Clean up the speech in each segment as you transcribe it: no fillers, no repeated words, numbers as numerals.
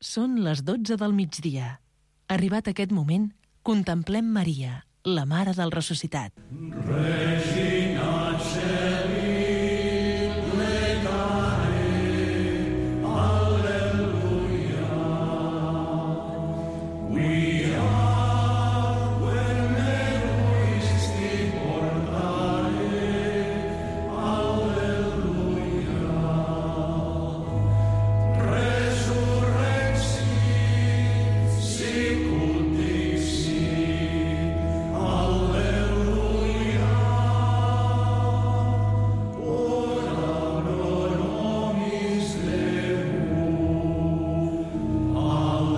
Són les 12 del migdia. Arribat aquest moment, contemplem Maria, la Mare del Ressuscitat. Regina Celi, plecare, Alleluia. We are when egoisti portare, Alleluia. Resurrexi, sicut dixi, Alleluia. Ora pro nobis Deum, Alleluia.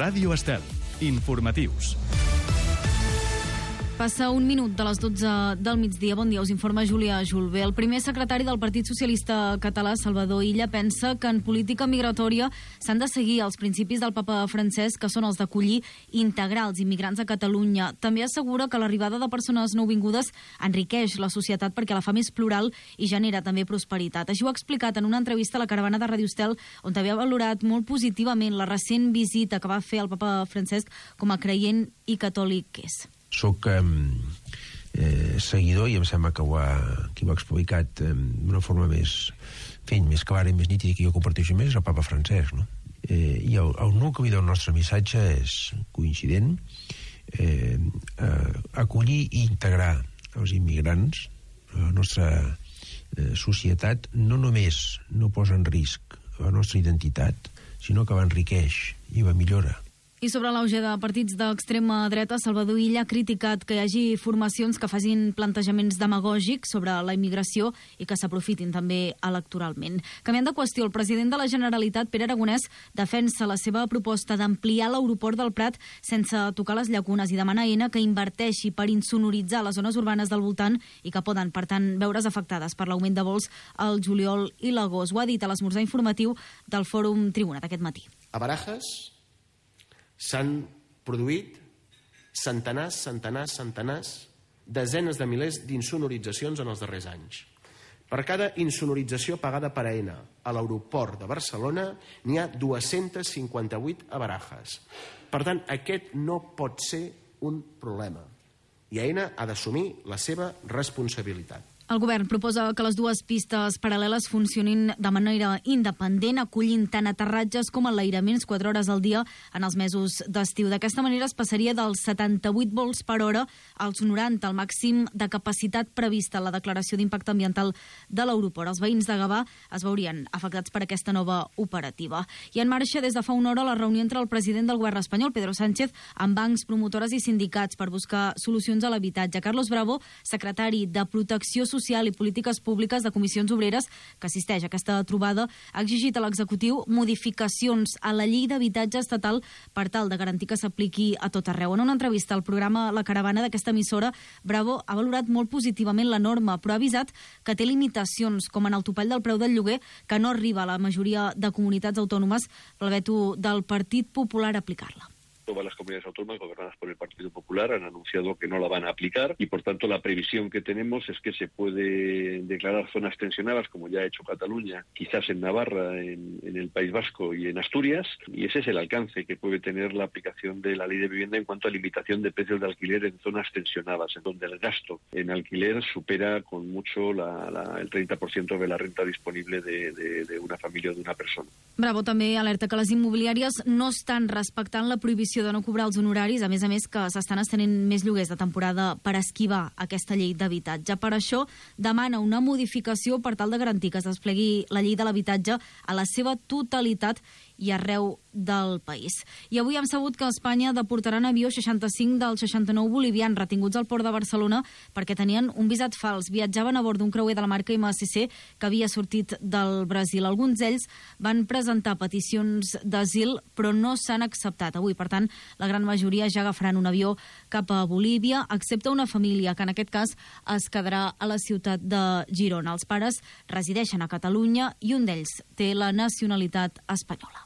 Ràdio Estel. Informatius. Passa un minut de les 12 del migdia. Bon dia, us informa Júlia Julbé. El primer secretari del Partit Socialista Català, Salvador Illa, pensa que en política migratòria s'han de seguir els principis del papa Francesc, que són els d'acollir i integrar els immigrants a Catalunya. També assegura que l'arribada de persones nouvingudes enriqueix la societat perquè la fa més plural i genera també prosperitat. Així ho ha explicat en una entrevista a la caravana de Ràdio Estel, on també ha valorat molt positivament la recent visita que va fer el papa Francesc com a creient i catòlic que és. Soc seguidor, i em sembla que qui ho ha explicat d'una forma més clara i més nítida, que jo comparteixo més, és el papa Francesc, no? I el nucli del nostre missatge és coincident: acollir i integrar els immigrants a la nostra societat no només no posa en risc la nostra identitat, sinó que l'enriqueix i la millora. I sobre l'auge de partits d'extrema dreta, Salvador Illa ha criticat que hi hagi formacions que facin plantejaments demagògics sobre la immigració i que s'aprofitin també electoralment. Canviant de qüestió, el president de la Generalitat, Pere Aragonès, defensa la seva proposta d'ampliar l'aeroport del Prat sense tocar les llacunes i demana a Aena que inverteixi per insonoritzar les zones urbanes del voltant i que poden, per tant, veure's afectades per l'augment de vols al juliol i l'agost. Ho ha dit a l'esmorzar informatiu del Fòrum Tribuna d'aquest matí. A Barajas s'han produït centenars, desenes de milers d'insonoritzacions en els darrers anys. Per cada insonorització pagada per Aena a l'aeroport de Barcelona n'hi ha 258 a Barajas. Per tant, aquest no pot ser un problema i Aena ha d'assumir la seva responsabilitat. El govern proposa que les dues pistes paral·leles funcionin de manera independent, acollint tant aterratges com enlairaments 4 hores al dia en els mesos d'estiu. D'aquesta manera es passaria dels 78 vols per hora als 90, el màxim de capacitat prevista en la declaració d'impacte ambiental de l'aeroport. Els veïns de Gavà es veurien afectats per aquesta nova operativa. I en marxa des de fa una hora la reunió entre el president del govern espanyol, Pedro Sánchez, amb bancs, promotores i sindicats per buscar solucions a l'habitatge. Carlos Bravo, secretari de Protecció Social i Polítiques Públiques de Comissions Obreres, que assisteix a aquesta trobada, ha exigit a l'executiu modificacions a la llei d'habitatge estatal per tal de garantir que s'apliqui a tot arreu. En una entrevista al programa La Caravana d'aquesta emissora, Bravo ha valorat molt positivament la norma, però ha avisat que té limitacions, com en el topall del preu del lloguer, que no arriba a la majoria de comunitats autònomes pel veto del Partit Popular a aplicar-la. Todas las comunidades autónomas gobernadas por el Partido Popular han anunciado que no la van a aplicar y, por tanto, la previsión que tenemos es que se puede declarar zonas tensionadas, como ya ha hecho Cataluña, quizás en Navarra, en el País Vasco y en Asturias, y ese es el alcance que puede tener la aplicación de la Ley de Vivienda en cuanto a limitación de precios de alquiler en zonas tensionadas, en donde el gasto en alquiler supera con mucho el 30% de la renta disponible de una familia o de una persona. Bravo també alerta que les immobiliàries no estan respectant la prohibició de no cobrar els honoraris, a més que s'estan estenent més lloguers de temporada per esquivar aquesta llei d'habitatge. Per això demana una modificació per tal de garantir que es desplegui la llei de l'habitatge a la seva totalitat i arreu del país. I avui hem sabut que Espanya deportarà en avió 65 dels 69 bolivians retinguts al port de Barcelona perquè tenien un visat fals. Viatjaven a bord d'un creuer de la marca MSC que havia sortit del Brasil. Alguns d'ells van presentar peticions d'asil, però no s'han acceptat avui. Per tant, la gran majoria ja agafaran un avió cap a Bolívia, excepte una família que en aquest cas es quedarà a la ciutat de Girona. Els pares resideixen a Catalunya i un d'ells té la nacionalitat espanyola.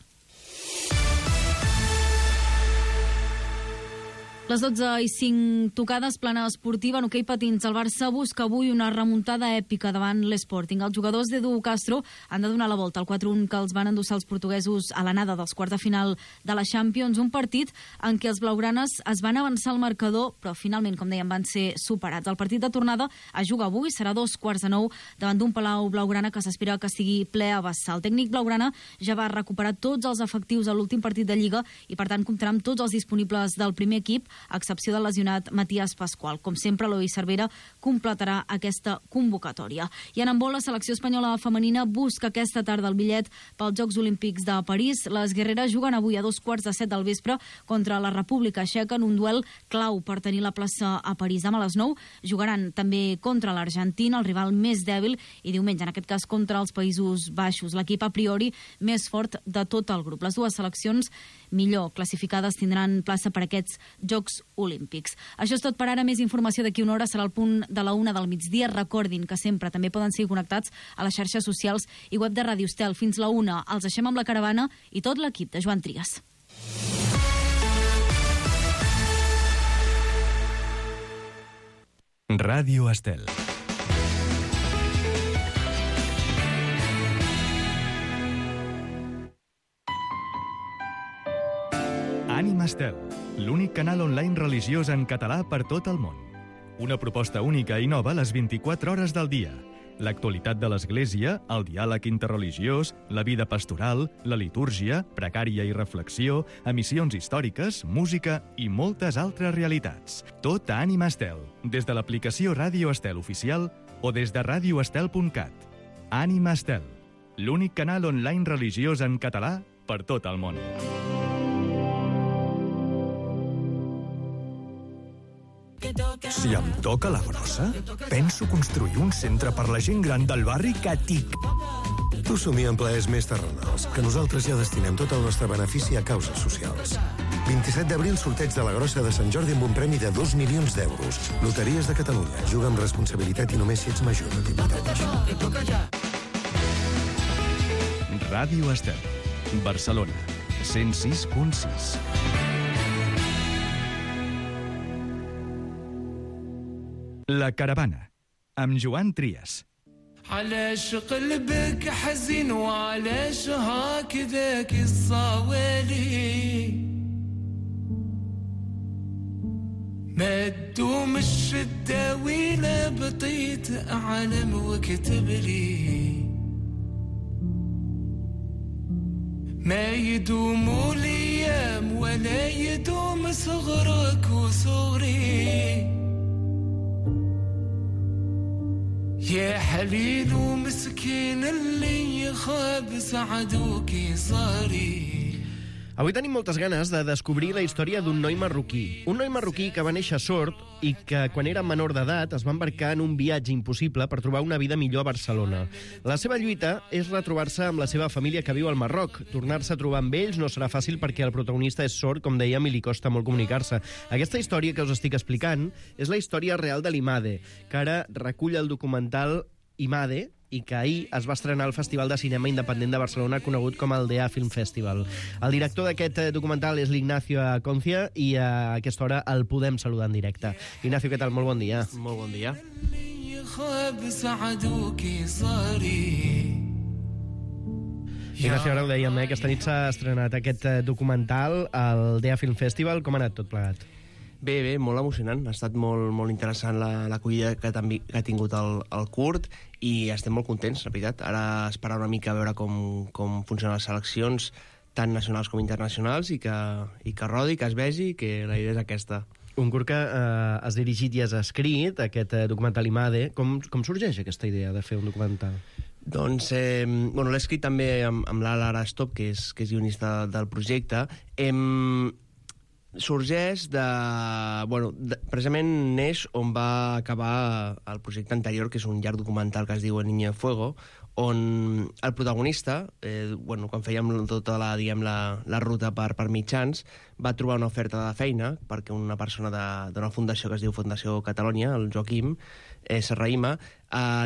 Les 12:05 tocades, plana esportiva en hoquei patins. El Barça busca avui una remuntada èpica davant l'Sporting. Els jugadors d'Edu Castro han de donar la volta al 4-1 que els van endossar els portuguesos a l'anada dels quarts de final de la Champions, un partit en què els blaugranes es van avançar al marcador, però finalment, com dèiem, van ser superats. El partit de tornada es juga avui, serà 8:45 davant d'un Palau blaugrana que s'espera que estigui ple a vessar. El tècnic blaugrana ja va recuperar tots els efectius a l'últim partit de Lliga i, per tant, comptarà amb tots els disponibles del primer equip, a excepció del lesionat Matías Pascual. Com sempre, Eloi Cervera completarà aquesta convocatòria. I en handbol, la selecció espanyola femenina busca aquesta tarda el bitllet pels Jocs Olímpics de París. Les guerreres juguen avui a 7:15 del vespre contra la República Txeca en un duel clau per tenir la plaça a París. Demà a les 9 jugaran també contra l'Argentina, el rival més dèbil, i diumenge, en aquest cas, contra els Països Baixos, l'equip a priori més fort de tot el grup. Les dues seleccions millor classificades tindran plaça per aquests Jocs Olímpics. Això és tot per ara. Més informació d'aquí una hora serà al punt de la 1 del migdia. Recordin que sempre també poden seguir connectats a les xarxes socials i web de Ràdio Estel. Fins la 1 els deixem amb la caravana i tot l'equip de Joan Trias. Ràdio Estel. Ànima Estel, l'únic canal online religiós en català per tot el món. Una proposta única i nova a les 24 hores del dia. L'actualitat de l'Església, el diàleg interreligiós, la vida pastoral, la litúrgia, pregària i reflexió, emissions històriques, música i moltes altres realitats. Tot a Ànima Estel, des de l'aplicació Ràdio Estel oficial o des de radioestel.cat. Ànima Estel, l'únic canal online religiós en català per tot el món. Si em toca la grossa, penso construir un centre per la gent gran del barri que tic. Tu somia en plaers més terrenals, que nosaltres ja destinem tot el nostre benefici a causes socials. 27 d'abril, sorteig de la grossa de Sant Jordi amb un premi de 2 milions d'euros. Loteries de Catalunya. Juga amb responsabilitat i només si ets major de 18 anys. Ràdio Estel, Barcelona, 106.6. La caravana, amb Joan Trias. علاش قلبك حزين وعلاش هكذا كالصوالي ما تدوم الشدة ولا بطيت أعلم واكتب لي ما يدوم الأيام ولا يدوم صغرك وصغري يا حليل ومسكين اللي خاب سعدوك صاري. Avui tenim moltes ganes de descobrir la història d'un noi marroquí. Un noi marroquí que va néixer sord i que, quan era menor d'edat, es va embarcar en un viatge impossible per trobar una vida millor a Barcelona. La seva lluita és retrobar-se amb la seva família que viu al Marroc. Tornar-se a trobar amb ells no serà fàcil perquè el protagonista és sord, com dèiem, i li costa molt comunicar-se. Aquesta història que us estic explicant és la història real de l'Imade, que ara recull el documental Imade, i que ahir es va estrenar al Festival de Cinema Independent de Barcelona, conegut com el DEA Film Festival. El director d'aquest documental és l'Ignacio Aconcia i a aquesta hora el podem saludar en directe. Ignacio, què tal? Molt bon dia. Molt bon dia. Ignacio, ara ho dèiem, aquesta nit s'ha estrenat aquest documental al DEA Film Festival. Com ha anat tot plegat? Bé, molt emocionant. Ha estat molt interessant l'acollida que ha tingut el curt i estem molt contents, la veritat. Ara esperar una mica a veure com funcionen les seleccions, tant nacionals com internacionals, i que rodi, que es vegi, que la idea és aquesta. Un curt que has dirigit i has escrit, aquest documental Imade. Com sorgeix aquesta idea de fer un documental? Doncs, l'he escrit també amb l'Ala Arastop, que és guionista del projecte. Sorgeix precisament neix on va acabar el projecte anterior, que és un llarg documental que es diu El Niño de Fuego, on el protagonista, quan fèiem tota la ruta per mitjans, va trobar una oferta de feina perquè una persona d'una fundació que es diu Fundació Catalunya, el Joaquim Serraïma,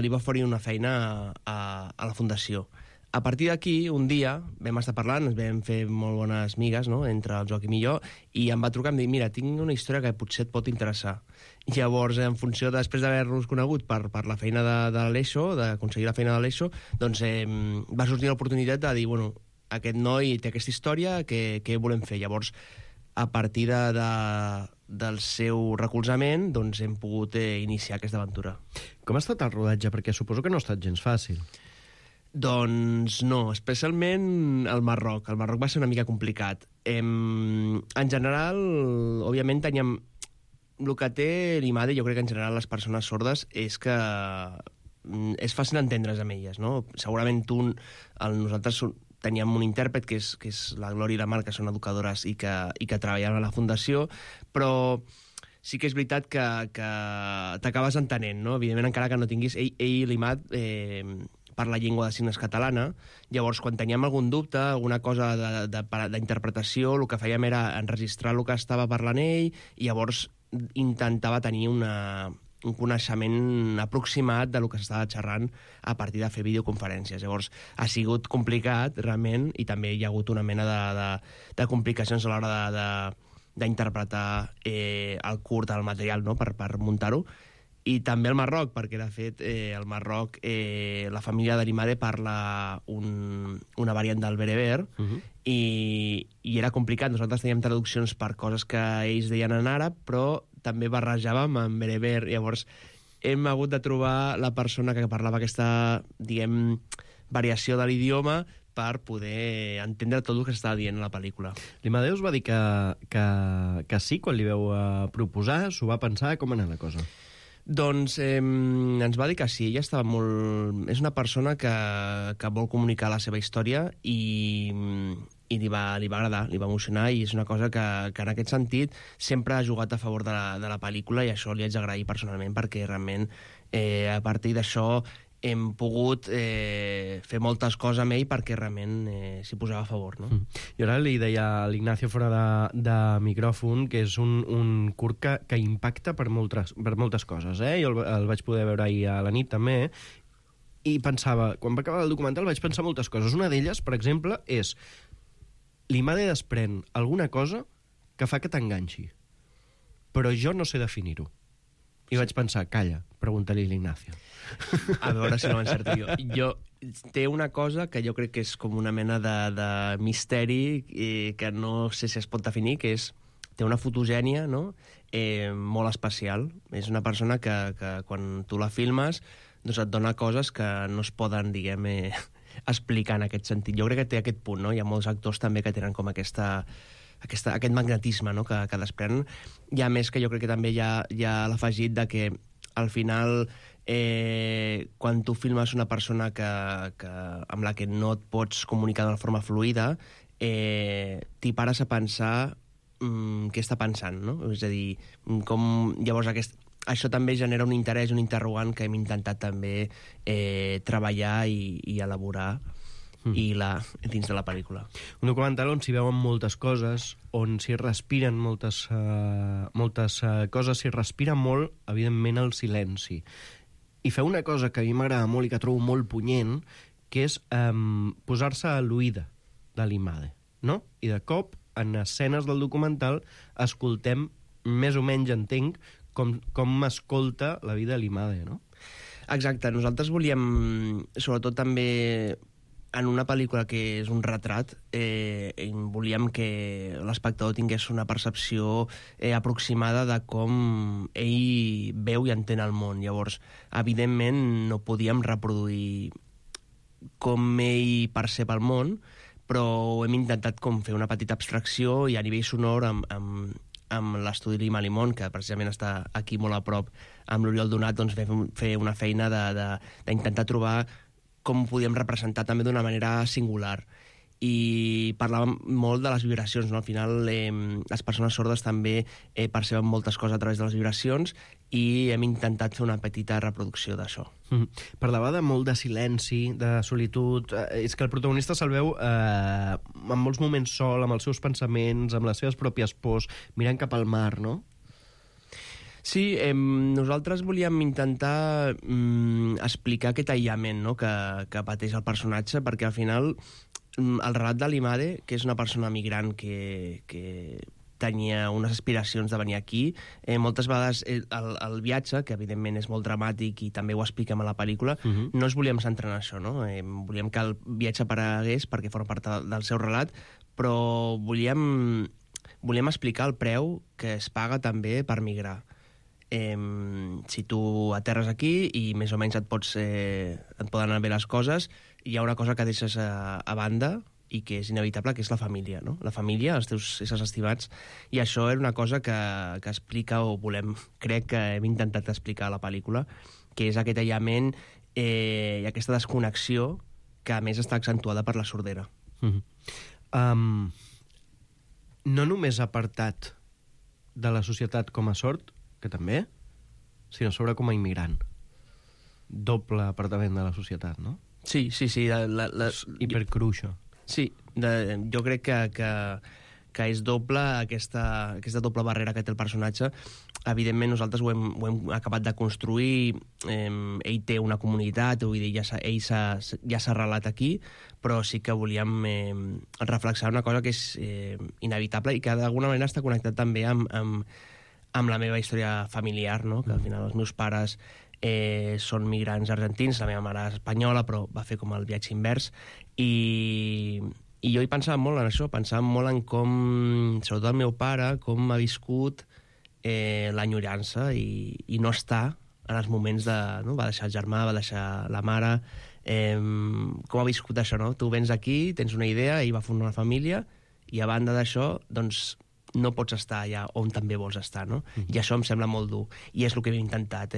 li va oferir una feina a la fundació. A partir d'aquí, un dia, vam estar parlant, ens vam fer molt bones migues, no?, entre el Joaquim i jo, i em va trucar i em dir, mira, tinc una història que potser et pot interessar. Llavors, en funció, després d'haver-nos conegut per la feina de l'ESO, d'aconseguir la feina de l'ESO, doncs va sortir l'oportunitat de dir, bueno, aquest noi té aquesta història, què volem fer? Llavors, a partir del seu recolzament, doncs hem pogut iniciar aquesta aventura. Com ha estat el rodatge? Perquè suposo que no ha estat gens fàcil. Doncs no, especialment el Marroc. El Marroc va ser una mica complicat. En general, òbviament, teníem... El que té l'IMADE, jo crec que en general les persones sordes, és que és fàcil entendre's amb elles, no? Segurament nosaltres teníem un intèrpret, que és la Glòria i la Mar, que són educadores i que treballen a la Fundació, però sí que és veritat que t'acabes entenent, no? Evidentment, encara que no tinguis... Ell l'IMAD parla llengua de signes catalana, llavors quan teníem algun dubte, alguna cosa d'interpretació, el que fèiem era enregistrar el que estava parlant ell, i llavors intentava tenir un coneixement aproximat del que s'estava xerrant a partir de fer videoconferències. Llavors, ha sigut complicat, realment, i també hi ha hagut una mena de complicacions a l'hora d'interpretar el curt, el material, no?, per muntar-ho. I també el Marroc, perquè, de fet, el Marroc, la família de l'IMADE parla una variant del bereber, i era complicat. Nosaltres teníem traduccions per coses que ells deien en àrab, però també barrejàvem en bereber. Llavors, hem hagut de trobar la persona que parlava aquesta, diguem, variació de l'idioma per poder entendre tot el que s'estava dient a la pel·lícula. L'IMADE us va dir que sí, quan li veu proposar, s'ho va pensar, com anar la cosa? Doncs ens va dir que sí, ella estava molt... És una persona que vol comunicar la seva història i li va agradar, li va emocionar, i és una cosa que en aquest sentit sempre ha jugat a favor de la pel·lícula, i això li haig d'agrair personalment, perquè realment a partir d'això hem pogut fer moltes coses amb ell perquè realment s'hi posava a favor, no? Jo ara li deia a l'Ignacio fora de micròfon que és un curt que impacta per moltes coses, Jo el vaig poder veure ahir a la nit també, i pensava, quan va acabar el documental vaig pensar moltes coses. Una d'elles, per exemple, és l'IMADE desprèn alguna cosa que fa que t'enganxi, però jo no sé definir-ho. I vaig pensar, calla, pregunta-li a l'Ignacio. A veure si no l'encerto jo. Té una cosa que jo crec que és com una mena de misteri que no sé si es pot definir, que és... Té una fotogènia, no?, molt especial. És una persona que quan tu la filmes doncs et dona coses que no es poden, diguem, explicar en aquest sentit. Jo crec que té aquest punt, no? Hi ha molts actors també que tenen com aquest magnetisme, no?, que desprenen. I a més que jo crec que també hi ha l'afegit de que al final quan tu filmes una persona amb la que no et pots comunicar d'una forma fluida, t'hi pares a pensar què està pensant, no? És a dir, com llavors això també genera un interès, un interrogant que hem intentat també treballar i elaborar dins de la pel·lícula. Un documental on s'hi veuen moltes coses, on s'hi respiren moltes coses, s'hi respira molt, evidentment, el silenci. I feu una cosa que a mi m'agrada molt i que trobo molt punyent, que és posar-se a l'oïda de l'IMADE, no? I de cop, en escenes del documental, escoltem, més o menys entenc, com escolta la vida de l'IMADE, no? Exacte. Nosaltres volíem, sobretot també en una pel·lícula que és un retrat, volíem que l'espectador tingués una percepció aproximada de com ell veu i entén el món. Llavors, evidentment, no podíem reproduir com ell percep el món, però hem intentat com fer una petita abstracció, i a nivell sonor amb l'estudi Lima Limón, que precisament està aquí molt a prop, amb l'Oriol Donat, doncs fer una feina d'intentar trobar com ho podíem representar també d'una manera singular. I parlàvem molt de les vibracions, no? Al final les persones sordes també perceben moltes coses a través de les vibracions, i hem intentat fer una petita reproducció d'això. Parlava de molt de silenci, de solitud. És que el protagonista se'l veu en molts moments sol, amb els seus pensaments, amb les seves pròpies pors, mirant cap al mar, no? Sí, nosaltres volíem intentar explicar aquest aïllament, no?, que pateix el personatge, perquè al final el relat de l'Imade, que és una persona migrant que tenia unes aspiracions de venir aquí, moltes vegades el viatge, que evidentment és molt dramàtic i també ho expliquem a la pel·lícula, no es volíem centrar en això, no? Volíem que el viatge aparegués perquè forma part del seu relat, però volíem explicar el preu que es paga també per migrar. Si tu aterres aquí i més o menys et poden anar bé les coses, hi ha una cosa que deixes a banda i que és inevitable, que és la família, no? La família, els teus éssers estimats, i això era una cosa que explica, o crec que hem intentat explicar a la pel·lícula, que és aquest aïllament i aquesta desconnexió que a més està accentuada per la sordera. No només apartat de la societat com a sord, que també, sinó sobre com a immigrant. Doble apartament de la societat, no? Sí. És hipercru, això. Sí, jo crec que és doble, aquesta doble barrera que té el personatge. Evidentment, nosaltres ho hem acabat de construir, ell té una comunitat, vull dir, ell ja s'ha arrelat aquí, però sí que volíem reflexar una cosa que és inevitable i que d'alguna manera està connectat també amb la meva història familiar, no? Que al final els meus pares són migrants argentins, la meva mare és espanyola, però va fer com el viatge invers, i jo hi pensava molt en això, pensava molt en com, sobretot el meu pare, com ha viscut l'enyorança i no està en els moments de... No? Va deixar el germà, va deixar la mare, com ha viscut això, no? Tu vens aquí, tens una idea, ell va fundar una família, i a banda d'això, doncs, no pots estar allà on també vols estar, no? I això em sembla molt dur, i és el que hem intentat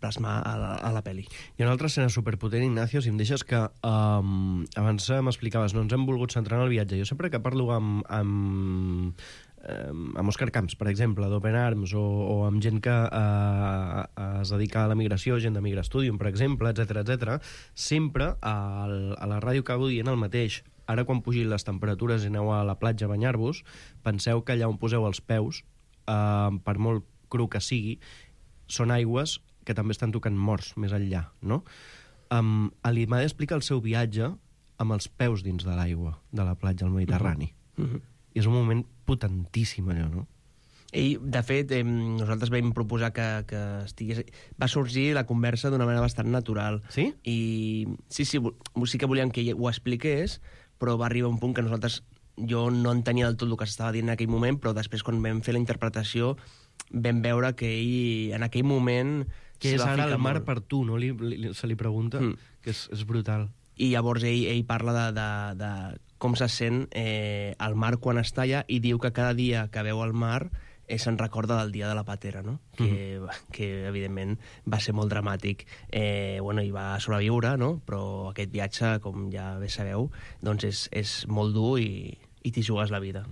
plasmar a la pel·li. Hi ha una altra escena superpotent, Ignacio, si em deixes, que abans m'explicaves, no ens hem volgut centrar en el viatge. Jo sempre que parlo amb Òscar Camps, per exemple, d'Open Arms, o amb gent que es dedica a la migració, gent de Migra Studium, per exemple, etc, sempre a la ràdio acabo dient el mateix. Ara, quan pugin les temperatures i aneu a la platja a banyar-vos, penseu que allà on poseu els peus, per molt cru que sigui, són aigües que també estan tocant morts més enllà, no? L'Imade explica el seu viatge amb els peus dins de l'aigua de la platja al Mediterrani. I és un moment potentíssim, allò, no? Ell, de fet, nosaltres vam proposar que estigués... Va sorgir la conversa d'una manera bastant natural. Sí? I sí que volíem que ell ho expliqués, però va arribar un punt que jo no entenia del tot el que s'estava dient en aquell moment, però després, quan vam fer la interpretació, vam veure que ell, en aquell moment... Que és ara el mar per tu, no? Se li pregunta, que és brutal. I llavors ell parla de com se sent el mar quan està allà, i diu que cada dia que veu el mar se'n recorda del dia de la patera, no? Que evidentment va ser molt dramàtic. I va sobreviure, no? Però aquest viatge, com ja bé sabeu, doncs és molt dur i t'hi jugues la vida.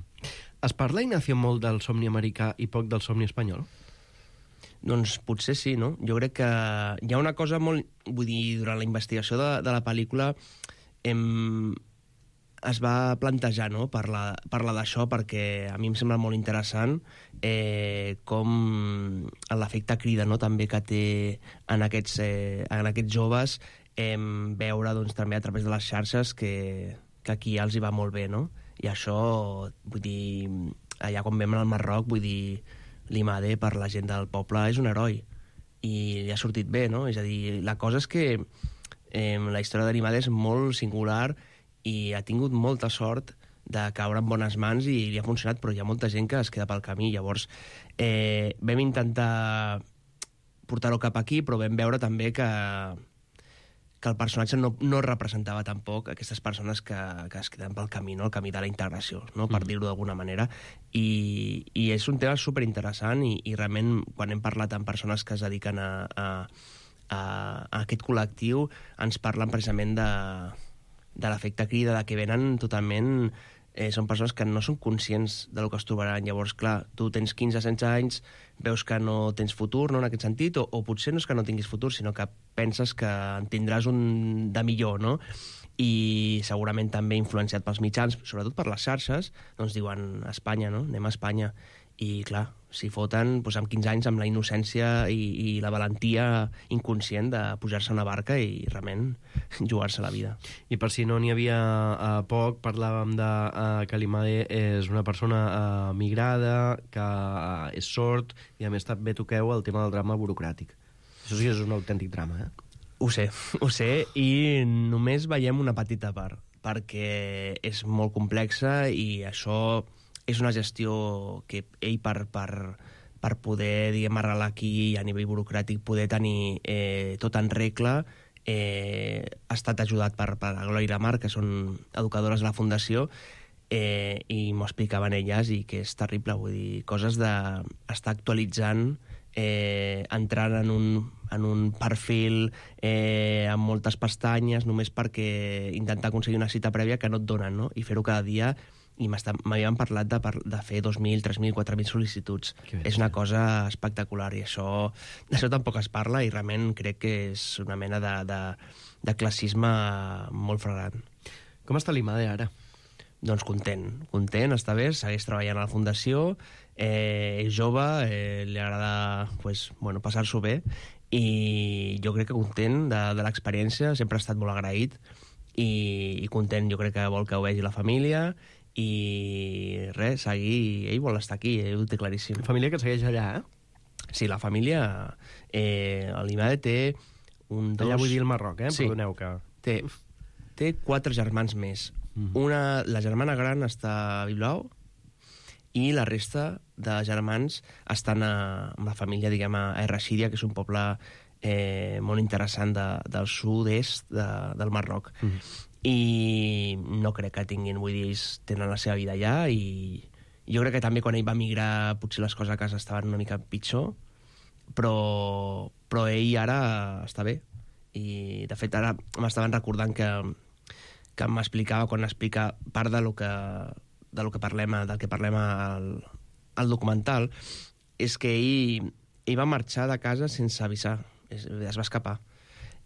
Es parla, Ignacio, molt del somni americà i poc del somni espanyol? Doncs potser sí, no? Jo crec que hi ha una cosa molt... Vull dir, durant la investigació de la pel·lícula es va plantejar, no?, parlar d'això, perquè a mi em sembla molt interessant com l'efecte crida, no?, també que té en aquests joves veure, doncs, també a través de les xarxes que aquí els hi va molt bé, no? I això, vull dir, allà quan vam al Marroc, vull dir, l'Imade per la gent del poble és un heroi i li ha sortit bé, no? És a dir, la cosa és que la història de l'Imade és molt singular i ha tingut molta sort de caure en bones mans i li ha funcionat, però hi ha molta gent que es queda pel camí. Llavors vam intentar portar-ho cap aquí, però vam veure també que el personatge no representava tampoc aquestes persones que es queden pel camí, no? El camí de la integració, no? Per dir-ho d'alguna manera. I és un tema superinteressant i realment, quan hem parlat amb persones que es dediquen a aquest col·lectiu, ens parlen precisament de l'efecte crida, de que venen totalment... són persones que no són conscients del que es trobaran. Llavors, clar, tu tens 15-16 anys, veus que no tens futur, no?, en aquest sentit, o potser no és que no tinguis futur, sinó que penses que en tindràs un de millor, no? I segurament també influenciat pels mitjans, sobretot per les xarxes, doncs diuen Espanya, no? Anem a Espanya. I clar, s'hi foten doncs, amb 15 anys, amb la innocència i la valentia inconscient de pujar-se a una barca i realment jugar-se la vida. I per si no n'hi havia poc, parlàvem de que l'Imade és una persona migrada, que és sord, i a més també toqueu el tema del drama burocràtic. Això sí que és un autèntic drama, Ho sé, i només veiem una petita part, perquè és molt complexa i això és una gestió que ell per poder, diguem, arrelar aquí a nivell burocràtic, poder tenir tot en regla, ha estat ajudat per la Glòria i la Mar, que són educadores de la Fundació, i m'ho explicaven elles, i que és terrible, vull dir, coses d'estar actualitzant, entrant en un perfil amb moltes pestanyes, només perquè intentar aconseguir una cita prèvia que no et donen, no? I fer-ho cada dia, i m'havien parlat de fer 2.000, 3.000, 4.000 sol·licituds. És una cosa espectacular, i d'això tampoc es parla, i realment crec que és una mena de classisme molt flagrant. Com està l'Imade ara? Doncs content, està bé, segueix treballant a la Fundació, és jove, li agrada passar-s'ho bé, i jo crec que content de l'experiència, sempre ha estat molt agraït, i content, jo crec que vol que ho vegi la família, i res, seguir, ell vol estar aquí, ho té claríssim. Família que segueix allà, Sí, la família, l'Imade té allà vull dir el Marroc, Sí. Perdoneu que... Té 4 germans més. La germana gran està a Bilbao, i la resta de germans estan amb la família, diguem, a Errachídia, que és un poble molt interessant del sud-est del Marroc. I no crec que tinguin, vull dir, ells tenen la seva vida allà, i jo crec que també quan ell va migrar potser les coses a casa estaven una mica pitjor, però ell ara està bé. I de fet ara m'estaven recordant que m'explicava, quan explica part del que parlem al documental, és que ell va marxar de casa sense avisar, es va escapar.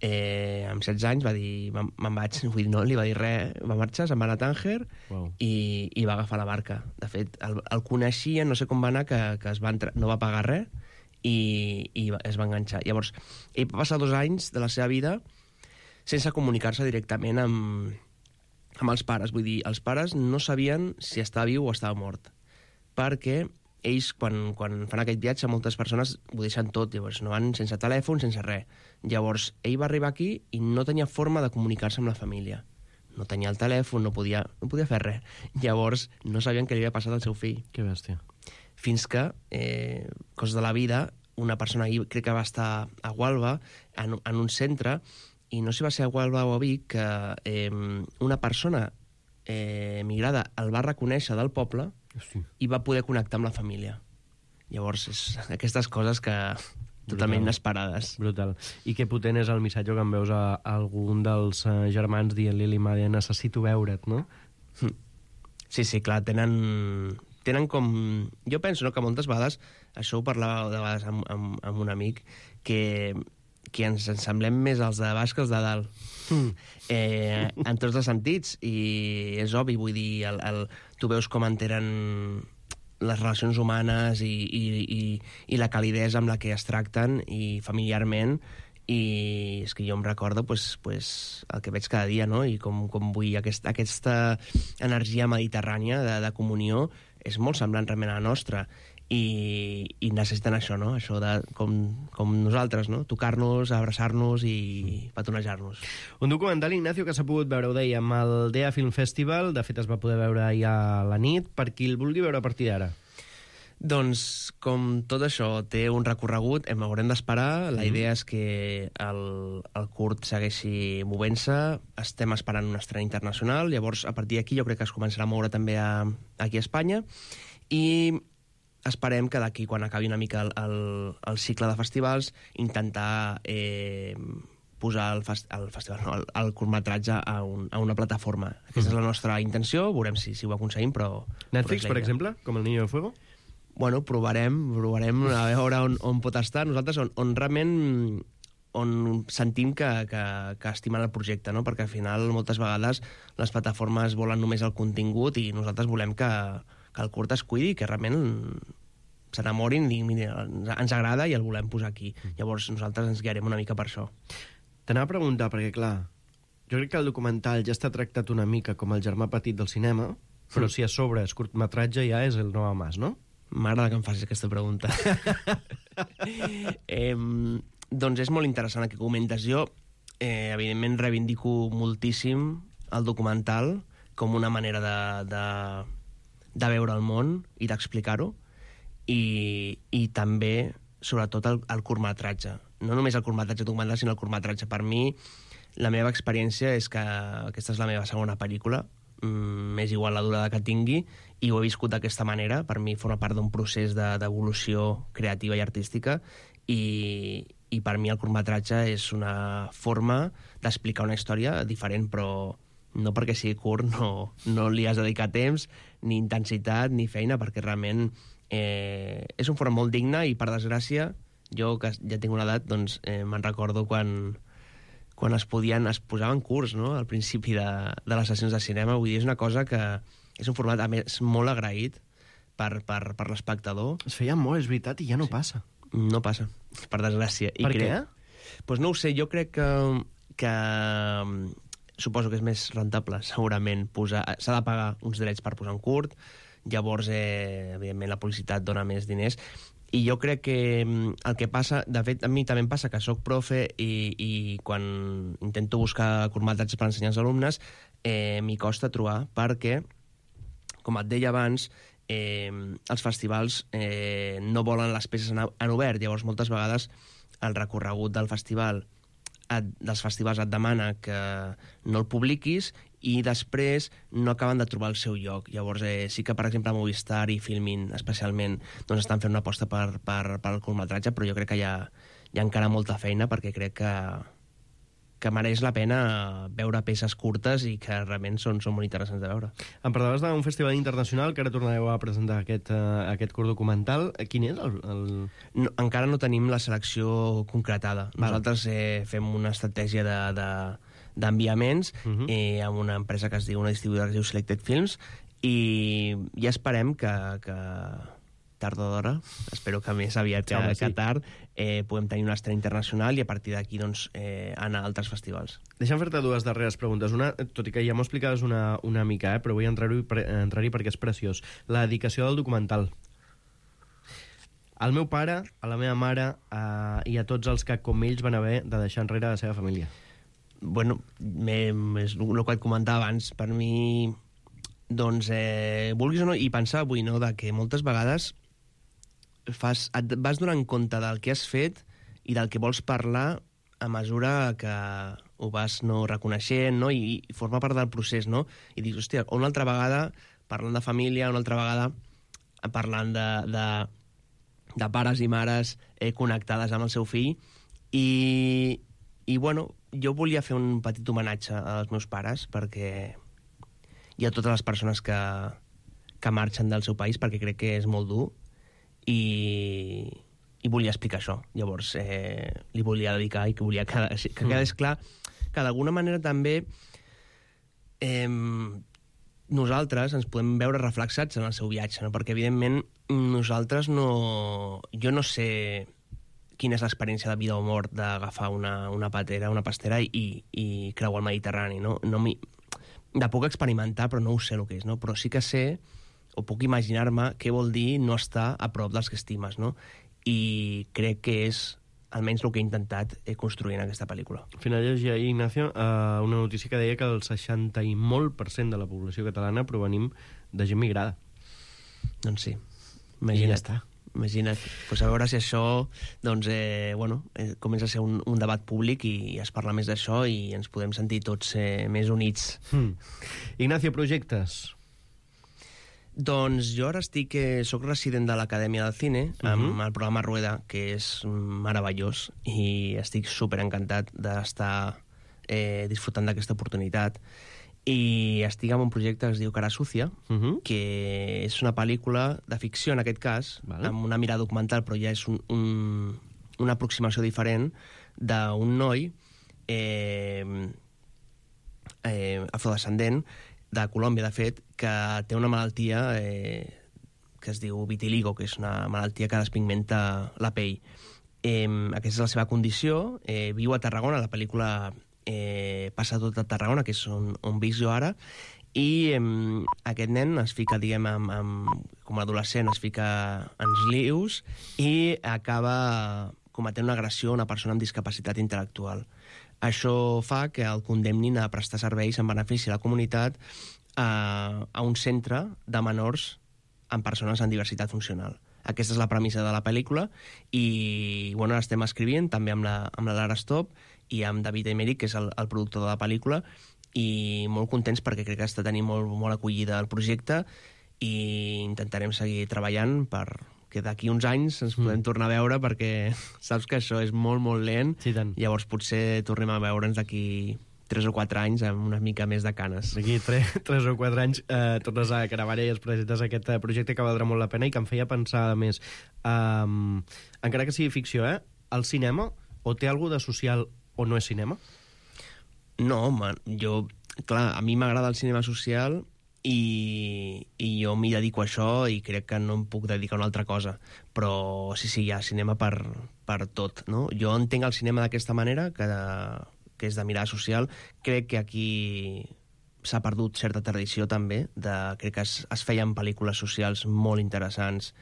Amb 16 anys va dir, me'n vaig, vull dir, no li va dir res, va marxar, se'n va anar a Tànger, i va agafar la barca. De fet, el coneixien, no sé com va anar, que no va pagar res, i es va enganxar. Llavors, ell va passar 2 anys de la seva vida sense comunicar-se directament amb els pares. Vull dir, els pares no sabien si estava viu o estava mort, perquè ells, quan fan aquest viatge, moltes persones ho deixen tot, llavors no van sense telèfon, sense res. Llavors, ell va arribar aquí i no tenia forma de comunicar-se amb la família. No tenia el telèfon, no podia fer res. Llavors, no sabien què li havia passat al seu fill. Que bèstia. Fins que, coses de la vida, una persona, crec que va estar a Gualba, en un centre, i no sé si va ser a Gualba o a Vic, que una persona migrada el va reconèixer del poble i va poder connectar amb la família. Llavors, aquestes coses que totalment inesperades. Brutal. I que potent és el missatge que em veus a algun dels germans dient-li a l'Imade, necessito veure't, no? Sí, clar, tenen com... Jo penso, no?, que moltes vegades, això ho parlava de vegades amb un amic, que ens semblem més els de baix que els de dalt. En tots els sentits, i és obvi, vull dir, tu veus com entenen les relacions humanes i la calidesa amb la que es tracten, i familiarment, i és que jo em recordo el que veig cada dia, no? I com vull aquesta energia mediterrània de comunió és molt semblant realment a la nostra, i necessiten això, no? Això de com nosaltres, no? Tocar-nos, abraçar-nos i petonejar-nos. Un documental, Ignacio, que s'ha pogut veure, ho dèiem, al DEA Film Festival. De fet, es va poder veure ahir a la nit. Per qui el vulgui veure a partir d'ara? Doncs, com tot això té un recorregut, haurem d'esperar. La idea és que el curt segueixi movent-se. Estem esperant una estrena internacional. Llavors, a partir d'aquí, jo crec que es començarà a moure també aquí a Espanya. I esperem que d'aquí, quan acabi una mica el cicle de festivals, intentar posar el curtmetratge a una plataforma. Aquesta és la nostra intenció. Veurem si ho aconseguim, però... Netflix, per exemple, com El Niño de Fuego? Bueno, provarem a veure on pot estar. Nosaltres on realment sentim que estimen el projecte, no? Perquè al final moltes vegades les plataformes volen només el contingut, i nosaltres volem que el curt es cuidi, que realment s'enamorin i diguin, mira, ens agrada i el volem posar aquí. Llavors nosaltres ens guiarem una mica per això. T'anava a preguntar, perquè clar, jo crec que el documental ja està tractat una mica com el germà petit del cinema, però si a sobre és curtmetratge ja és el nou Mas, no? M'agrada que em facis aquesta pregunta. Doncs és molt interessant el que comentes. Jo, evidentment, reivindico moltíssim el documental com una manera de veure el món i d'explicar-ho, i també, sobretot, el curtmetratge. No només el curtmetratge documental, sinó el curtmetratge. Per mi, la meva experiència és que aquesta és la meva segona pel·lícula, m'és igual la durada que tingui, i ho he viscut d'aquesta manera. Per mi forma part d'un procés d'evolució creativa i artística, i per mi el curtmetratge és una forma d'explicar una història diferent, però no perquè sigui curt no li has de dedicar temps, ni intensitat, ni feina, perquè realment és un format molt digne, i per desgràcia, jo que ja tinc una edat, doncs me'n recordo quan es posaven curts, no?, al principi de les sessions de cinema. Vull dir, és una cosa que és un format, a més, molt agraït per l'espectador. Es feia molt, és veritat, i ja no passa. No passa, per desgràcia. Per què? Doncs no ho sé, jo crec que suposo que és més rentable, segurament, s'ha de pagar uns drets per posar un curt, llavors, evidentment, la publicitat dona més diners, i jo crec que el que passa, de fet, a mi també em passa que soc profe i quan intento buscar curtmetratges per ensenyar als alumnes, m'hi costa trobar, perquè, com et deia abans, els festivals no volen les peces en obert, llavors moltes vegades el recorregut dels festivals et demana que no el publiquis i després no acaben de trobar el seu lloc. Llavors sí que, per exemple, Movistar i Filmin especialment doncs estan fent una aposta per el curtmetratge, però jo crec que hi ha encara molta feina, perquè crec que mereix la pena veure peces curtes i que realment són molt interessants de veure. Em parlaves d'un festival internacional que ara tornareu a presentar aquest curt documental. Quin és No, encara no tenim la selecció concretada. Nosaltres fem una estratègia d'enviaments amb una empresa que es diu, una distribuïdora que es diu Selected Films, i ja esperem que tard o d'hora, espero que més aviat que tard, podem tenir una estrena internacional i a partir d'aquí anar a altres festivals. Deixa'm fer-te dues darreres preguntes. Una, tot i que ja m'ho explicaves una mica, però vull entrar-hi perquè és preciós. La dedicació del documental. Al meu pare, a la meva mare i a tots els que, com ells, van haver de deixar enrere la seva família. Bueno, és el que et comentava abans. Per mi, doncs, vulguis o no, i pensar avui, no?, que moltes vegades et vas donant compte del que has fet i del que vols parlar a mesura que ho vas reconeixent, no?, i forma part del procés, no? I dius, hòstia, una altra vegada parlant de família, una altra vegada parlant de pares i mares connectades amb el seu fill, i bueno, jo volia fer un petit homenatge als meus pares, perquè i a totes les persones que marxen del seu país, perquè crec que és molt dur, i volia explicar això. Llavors li volia dedicar i que volia que quedés clar que d'alguna manera també nosaltres ens podem veure reflexats en el seu viatge, no? Perquè evidentment nosaltres jo no sé quina és l'experiència de vida o mort d'agafar una pastera i creuar el Mediterrani, no? De puc experimentar, però no ho sé el que és, no? Però sí que sé, o puc imaginar-me, què vol dir no estar a prop dels que estimes, no? I crec que és almenys el que he intentat construir en aquesta pel·lícula. Al final llegia ahir, Ignacio, una notícia que deia que el 60 i molt % de la població catalana provenim de gent migrada. Doncs sí, imagina't. I ja està. Imagina't. Pues a veure si això comença a ser un debat públic i es parla més d'això i ens podem sentir tots més units. Ignacio, projectes? Doncs jo ara soc resident de l'Acadèmia del Cine amb el programa Rueda, que és meravellós, i estic superencantat d'estar disfrutant d'aquesta oportunitat. I estic en un projecte que es diu Cara Sucia, que és una pel·lícula de ficció, en aquest cas, amb una mirada documental, però ja és una aproximació diferent d'un noi afrodescendent de Colòmbia, de fet, que té una malaltia que es diu vitiligo, que és una malaltia que despigmenta la pell. Aquesta és la seva condició. Viu a Tarragona, la pel·lícula passa tot a Tarragona, que és on visc jo ara, i aquest nen es fica, diguem, com a adolescent, es fica en lius i acaba cometent una agressió a una persona amb discapacitat intel·lectual. Això fa que el condemnin a prestar serveis en benefici de la comunitat a un centre de menors amb persones amb diversitat funcional. Aquesta és la premissa de la pel·lícula i bueno, l'estem escrivint també amb la Lara Stop i amb David Emerick, que és el productor de la pel·lícula, i molt contents perquè crec que està tenint molt acollida el projecte i intentarem seguir treballant perquè d'aquí uns anys ens podem tornar a veure, perquè saps que això és molt lent, sí, llavors potser tornem a veure'ns d'aquí 3 o 4 anys amb una mica més de canes. D'aquí 3 o 4 anys tornes a Caravalla i es presentes aquest projecte que valdrà molt la pena i que em feia pensar, a més, encara que sigui ficció, el cinema o té alguna de social o no és cinema? No, home, clar, a mi m'agrada el cinema social i jo m'hi dedico a això i crec que no em puc dedicar a una altra cosa, però sí, hi ha cinema per tot, no? Jo entenc el cinema d'aquesta manera, que és de mirada social. Crec que aquí s'ha perdut certa tradició també, crec que es feien pel·lícules socials molt interessants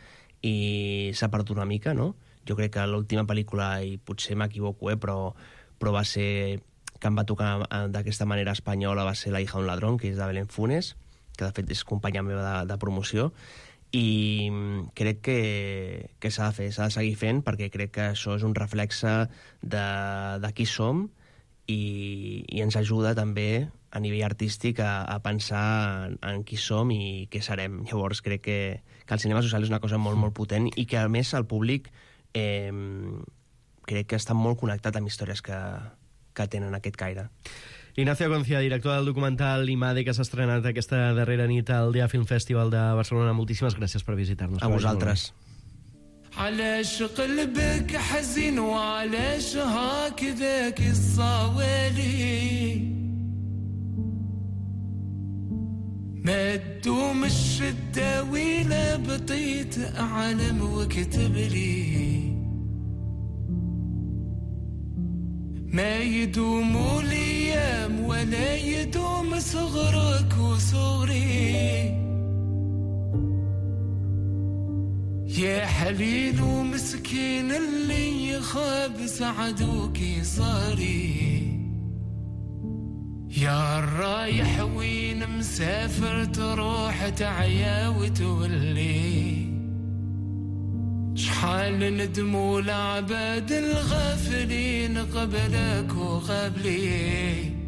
i s'ha perdut una mica, no? Jo crec que l'última pel·lícula, i potser m'equivoco, però va ser que em va tocar d'aquesta manera espanyola, va ser La hija d'un ladrón, que és de Belén Funes, que de fet és companya meva de promoció, i crec que s'ha de fer, s'ha de seguir fent, perquè crec que això és un reflexe de qui som i ens ajuda també a nivell artístic a pensar en qui som i què serem. Llavors crec que el cinema social és una cosa molt potent i que a més el públic crec que està molt connectat amb històries que tenen aquest caire. Ignacio Concia, director del documental Imade, que s'ha estrenat aquesta darrera nit al Dia Film Festival de Barcelona. Moltíssimes gràcies per visitar-nos. A vosaltres. علاش قلبك حزين وعلاش هكذاك الصوالي ما تدوم الشدة ولا بطيت أعلم وكتب لي ما يدوم الأيام ولا يدوم صغرك وصغري يا حليل ومسكين اللي يخاب سعدوك صاري يا الرايح وين مسافر تروح تعيا وتولي شحال ندموا العباد الغافلين قبلك وقبلي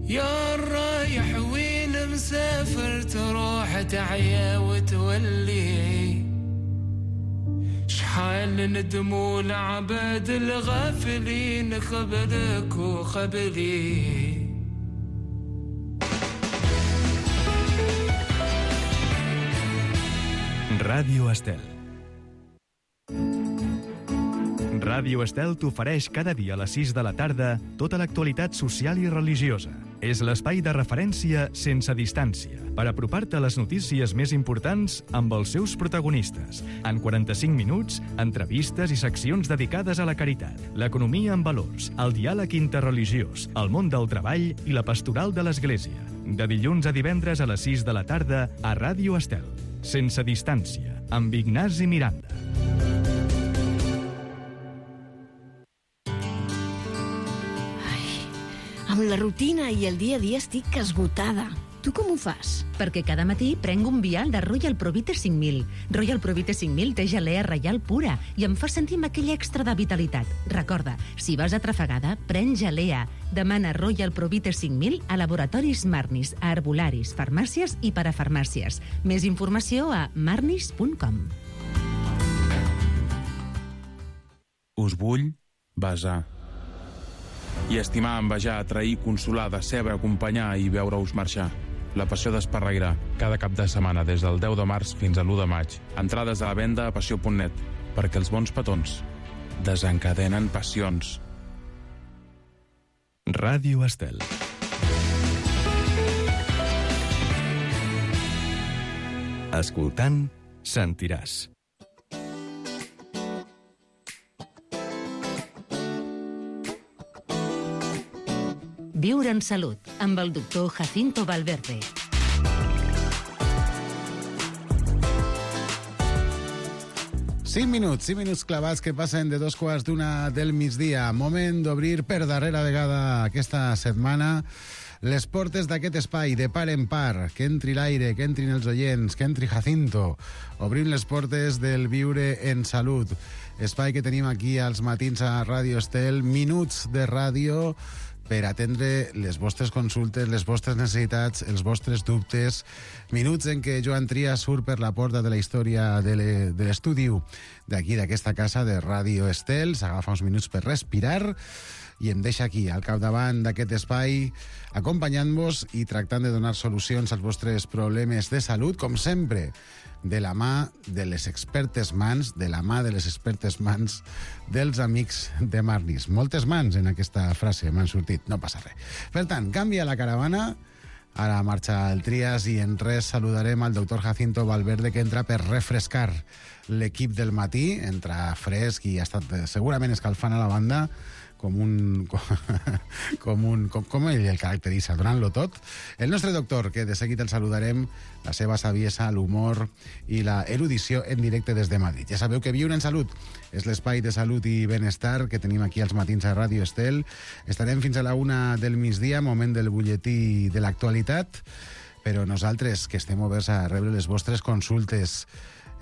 يا الرايح وين مسافر تروح تعيا وتولي شحال ندموا العباد الغافلين قبلك وقبلي Ràdio Estel. Ràdio Estel t'ofereix cada dia a les 6 de la tarda tota l'actualitat social i religiosa. És l'espai de referència sense distància per apropar-te a les notícies més importants amb els seus protagonistes. En 45 minuts, entrevistes i seccions dedicades a la caritat, l'economia amb valors, el diàleg interreligiós, el món del treball i la pastoral de l'Església. De dilluns a divendres a les 6 de la tarda a Ràdio Estel. Sense distància, amb Ignasi Miranda. Amb la rutina i el dia a dia estic esgotada. Tu com ho fas? Perquè cada matí prenc un vial de Royal Provite 5000. Royal Provite 5000 té gelea reial pura i em fa sentir amb aquell extra de vitalitat. Recorda, si vas atrafegada, pren gelea. Demana Royal Provite 5000 a laboratoris Marnis, a herbolaris, farmàcies i parafarmàcies. Més informació a marnis.com. Us vull besar. I estimar, envejar, atrair, consolar, decebre, acompanyar i veure-us marxar. La passió d'Esparreguera, cada cap de setmana des del 10 de març fins a l'1 de maig. Entrades a la venda a passió.net, perquè els bons petons desencadenen passions. Ràdio Estel. Escoltant, sentiràs. Viure en salut, amb el doctor Jacinto Valverde. Cinc minuts clavats que passen de 2:15 del migdia. Moment d'obrir per darrera vegada aquesta setmana les portes d'aquest espai de par en par. Que entri l'aire, que entrin els oients, que entri Jacinto. Obrim les portes del Viure en Salut. Espai que tenim aquí als matins a Ràdio Estel. Minuts de ràdio per atendre les vostres consultes, les vostres necessitats, els vostres dubtes. Minuts en què Joan Trias surt per la porta de la història de l'estudi d'aquí, d'aquesta casa de Ràdio Estel, s'agafa uns minuts per respirar i em deixa aquí, al capdavant d'aquest espai, acompanyant-vos i tractant de donar solucions als vostres problemes de salut, com sempre, de la mà de les expertes mans, de la mà de les expertes mans dels amics de Marnis. Moltes mans en aquesta frase m'han sortit, no passa res. Per tant, canvia la caravana, ara marxa el Trias i en res saludarem al doctor Jacinto Valverde, que entra per refrescar l'equip del matí, entra fresc i ha estat segurament escalfant a la banda com ell el caracteritza, donant-lo tot. El nostre doctor, que de seguit el saludarem, la seva saviesa, l'humor i la erudició en directe des de Madrid. Ja sabeu que Viure en Salut és l'espai de salut i benestar que tenim aquí als matins a Ràdio Estel. Estarem fins a la 1 del migdia, moment del butlletí de l'actualitat, però nosaltres, que estem oberts a rebre les vostres consultes,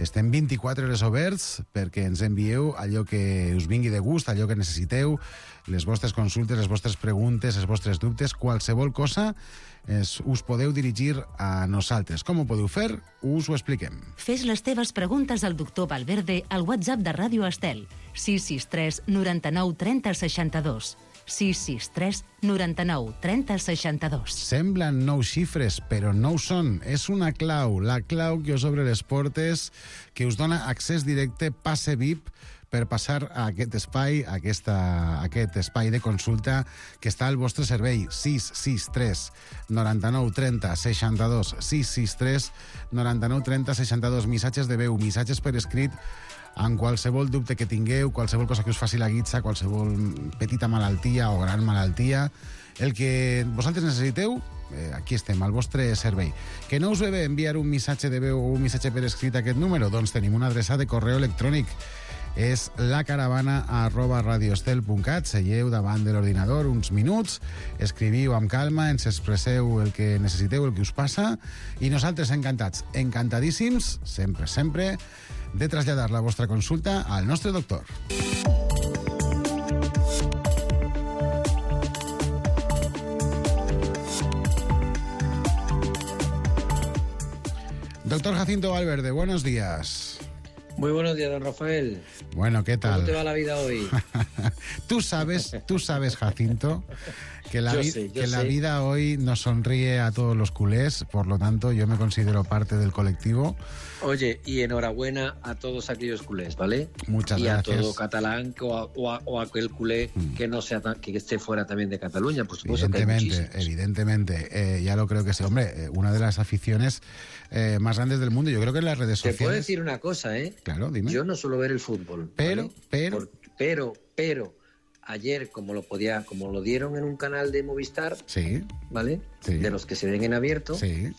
estem 24 hores oberts perquè ens envieu allò que us vingui de gust, allò que necessiteu, les vostres consultes, les vostres preguntes, els vostres dubtes, qualsevol cosa, us podeu dirigir a nosaltres. Com ho podeu fer? Us ho expliquem. Fes les teves preguntes al doctor Valverde al WhatsApp de Ràdio Estel, 663 99 30 62. 663 99 30 62. Semblen 9 xifres, però no ho són. És una clau, la clau que us obre les portes, que us dona accés directe, passe VIP, per passar a aquest espai, a aquest espai de consulta que està al vostre servei. 663 99 30 62. 663 99 30 62. Missatges de veu, missatges per escrit, amb qualsevol dubte que tingueu, qualsevol cosa que us faci la guitza, qualsevol petita malaltia o gran malaltia, el que vosaltres necessiteu, aquí estem, al vostre servei. Que no us ve bé enviar un missatge de veu o un missatge per escrit a aquest número? Doncs tenim una adreça de correu electrònic. És lacaravana@radioestel.cat. Seieu davant de l'ordinador uns minuts, escriviu amb calma, ens expresseu el que necessiteu, el que us passa, i nosaltres encantats, encantadíssims, sempre, de traslladar la vostra consulta al nostre doctor. Doctor Jacinto Valverde, buenos días. Muy buenos días, don Rafael. Bueno, ¿qué tal? ¿Cómo te va la vida hoy? Tú sabes, Jacinto, que la vida hoy nos sonríe a todos los culés, por lo tanto yo me considero parte del colectivo. Oye, y enhorabuena a todos aquellos culés, ¿vale? Muchas gracias. Y a todo catalán o aquel culé que no sea que esté fuera también de Cataluña, por supuesto. Evidentemente, ya lo creo que sí. Hombre, una de las aficiones más grandes del mundo, yo creo que en las redes sociales. Te puedo decir una cosa, ¿eh? Claro, dime. Yo no suelo ver el fútbol. Pero ayer, como lo dieron en un canal de Movistar, sí, ¿vale? Sí. De los que se ven en abierto, sí,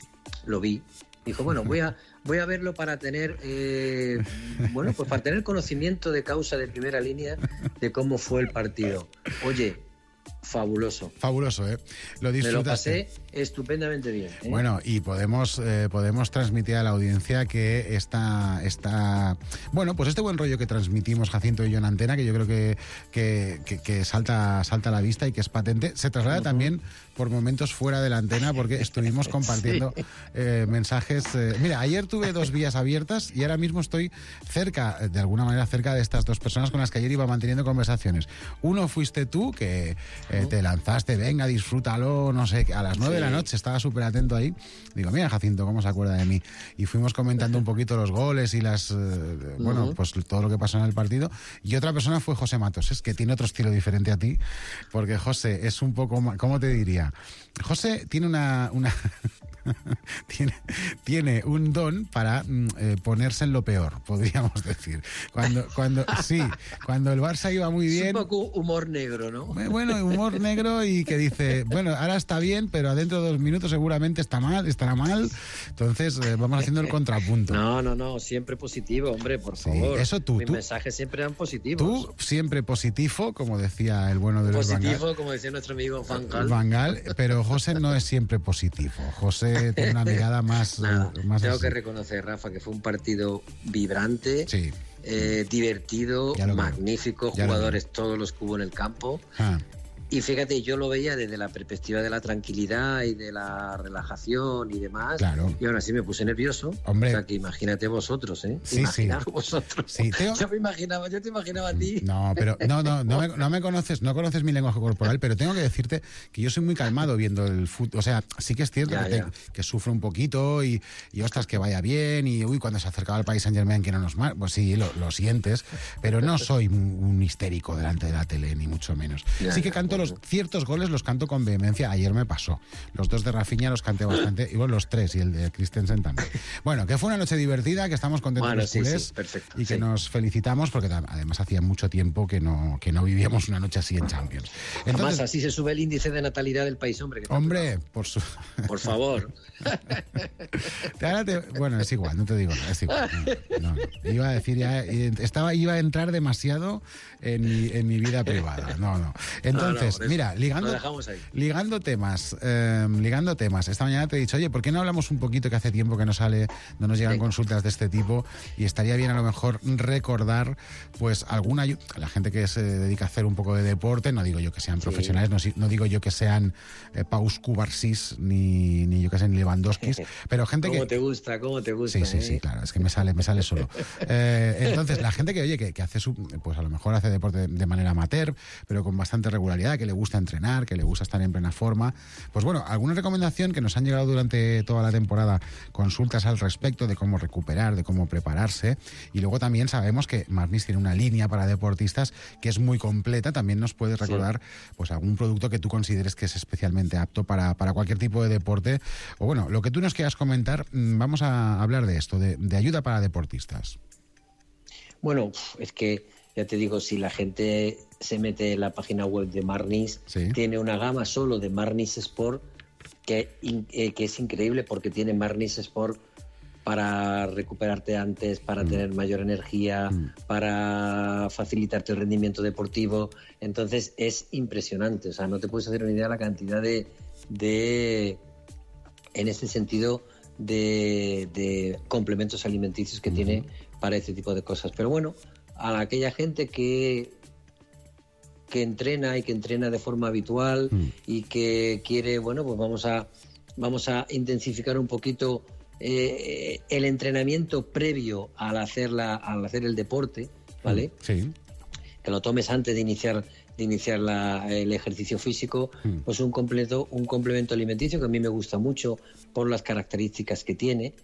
lo vi. Dijo, bueno, voy a verlo para tener pues para tener conocimiento de causa de primera línea de cómo fue el partido. Oye, fabuloso. Fabuloso, ¿eh? Lo disfrutaste. Me lo pasé estupendamente bien, ¿eh? Bueno, y podemos transmitir a la audiencia que pues este buen rollo que transmitimos Jacinto y yo en antena, que yo creo que salta a la vista y que es patente, se traslada también por momentos fuera de la antena, porque estuvimos compartiendo mensajes. Mira, ayer tuve 2 vías abiertas y ahora mismo estoy de alguna manera cerca de estas 2 personas con las que ayer iba manteniendo conversaciones. Uno fuiste tú, que te lanzaste, venga, disfrútalo, no sé, a las 9 de la noche, estaba súper atento ahí. Digo, mira, Jacinto, ¿cómo se acuerda de mí? Y fuimos comentando un poquito los goles y pues todo lo que pasó en el partido. Y otra persona fue José Matos, que tiene otro estilo diferente a ti, porque José es un poco más, ¿cómo te diría? José tiene una tiene un don para ponerse en lo peor, podríamos decir. Cuando el Barça iba muy bien... Es un poco humor negro, ¿no? Bueno, humor negro y que dice, bueno, ahora está bien, pero adentro de 2 minutos seguramente estará mal. Entonces vamos haciendo el contrapunto. No, siempre positivo, hombre, por favor. Eso Mis mensajes siempre eran positivos. Tú siempre positivo, como decía el bueno de los Van Gaal. Positivo, como decía nuestro amigo Van Gaal, pero José no es siempre positivo. José tiene una mirada más... Tengo que reconocer, Rafa, que fue un partido vibrante, divertido, magnífico, jugadores todos los que hubo en el campo. Y fíjate, yo lo veía desde la perspectiva de la tranquilidad y de la relajación y demás. Claro. Y aún así me puse nervioso. Hombre. O sea, que imagínate vosotros, ¿eh? Sí, Imaginaos vosotros. Sí, Yo te imaginaba a ti. No, pero no me conoces, no conoces mi lenguaje corporal, pero tengo que decirte que yo soy muy calmado viendo el fútbol. O sea, sí que es cierto que sufro un poquito y ostras, que vaya bien y cuando se acercaba al Paris Saint-Germain que no nos marca, pues sí, lo sientes, pero no soy un histérico delante de la tele, ni mucho menos. Sí que canto ciertos goles los canto con vehemencia. Ayer me pasó. Los 2 de Rafinha los canté bastante. Y bueno, los 3 y el de Christensen también. Bueno, que fue una noche divertida, que estamos contentos los culés y que nos felicitamos porque además hacía mucho tiempo que no vivíamos una noche así en Champions. Entonces, además, así se sube el índice de natalidad del país, hombre. Por favor. Bueno, es igual, no te digo nada, es igual. No. Iba a decir iba a entrar demasiado en mi vida privada. No. Entonces, mira, ligando temas. Esta mañana te he dicho, oye, ¿por qué no hablamos un poquito, que hace tiempo que no nos llegan consultas de este tipo, y estaría bien a lo mejor recordar pues alguna ayuda, la gente que se dedica a hacer un poco de deporte, no digo yo que sean profesionales, no digo yo que sean Paus Kubarsis ni yo que sé, ni Lewandowskis, pero gente ¿Cómo te gusta? Sí, claro, es que me sale solo. Entonces, la gente que, oye, que hace pues a lo mejor hace deporte de manera amateur, pero con bastante regularidad, que le gusta entrenar, que le gusta estar en plena forma, pues bueno, alguna recomendación que nos han llegado durante toda la temporada, consultas al respecto de cómo recuperar, de cómo prepararse, y luego también sabemos que Marnis tiene una línea para deportistas que es muy completa. También nos puedes recordar pues algún producto que tú consideres que es especialmente apto para cualquier tipo de deporte, o bueno, lo que tú nos quieras comentar. Vamos a hablar de esto, de ayuda para deportistas. Bueno, es que ya te digo, si la gente se mete en la página web de Marnis, tiene una gama solo de Marnis Sport que es increíble, porque tiene Marnis Sport para recuperarte antes, para tener mayor energía, para facilitarte el rendimiento deportivo. Entonces es impresionante, o sea, no te puedes hacer una idea de la cantidad de en este sentido de complementos alimenticios que tiene para este tipo de cosas. Pero bueno, a aquella gente que entrena y que entrena de forma habitual y que quiere, bueno, pues vamos a intensificar un poquito el entrenamiento previo al hacer el deporte, ¿vale? Sí. Que lo tomes antes de iniciar el ejercicio físico, pues un complemento alimenticio que a mí me gusta mucho por las características que tiene,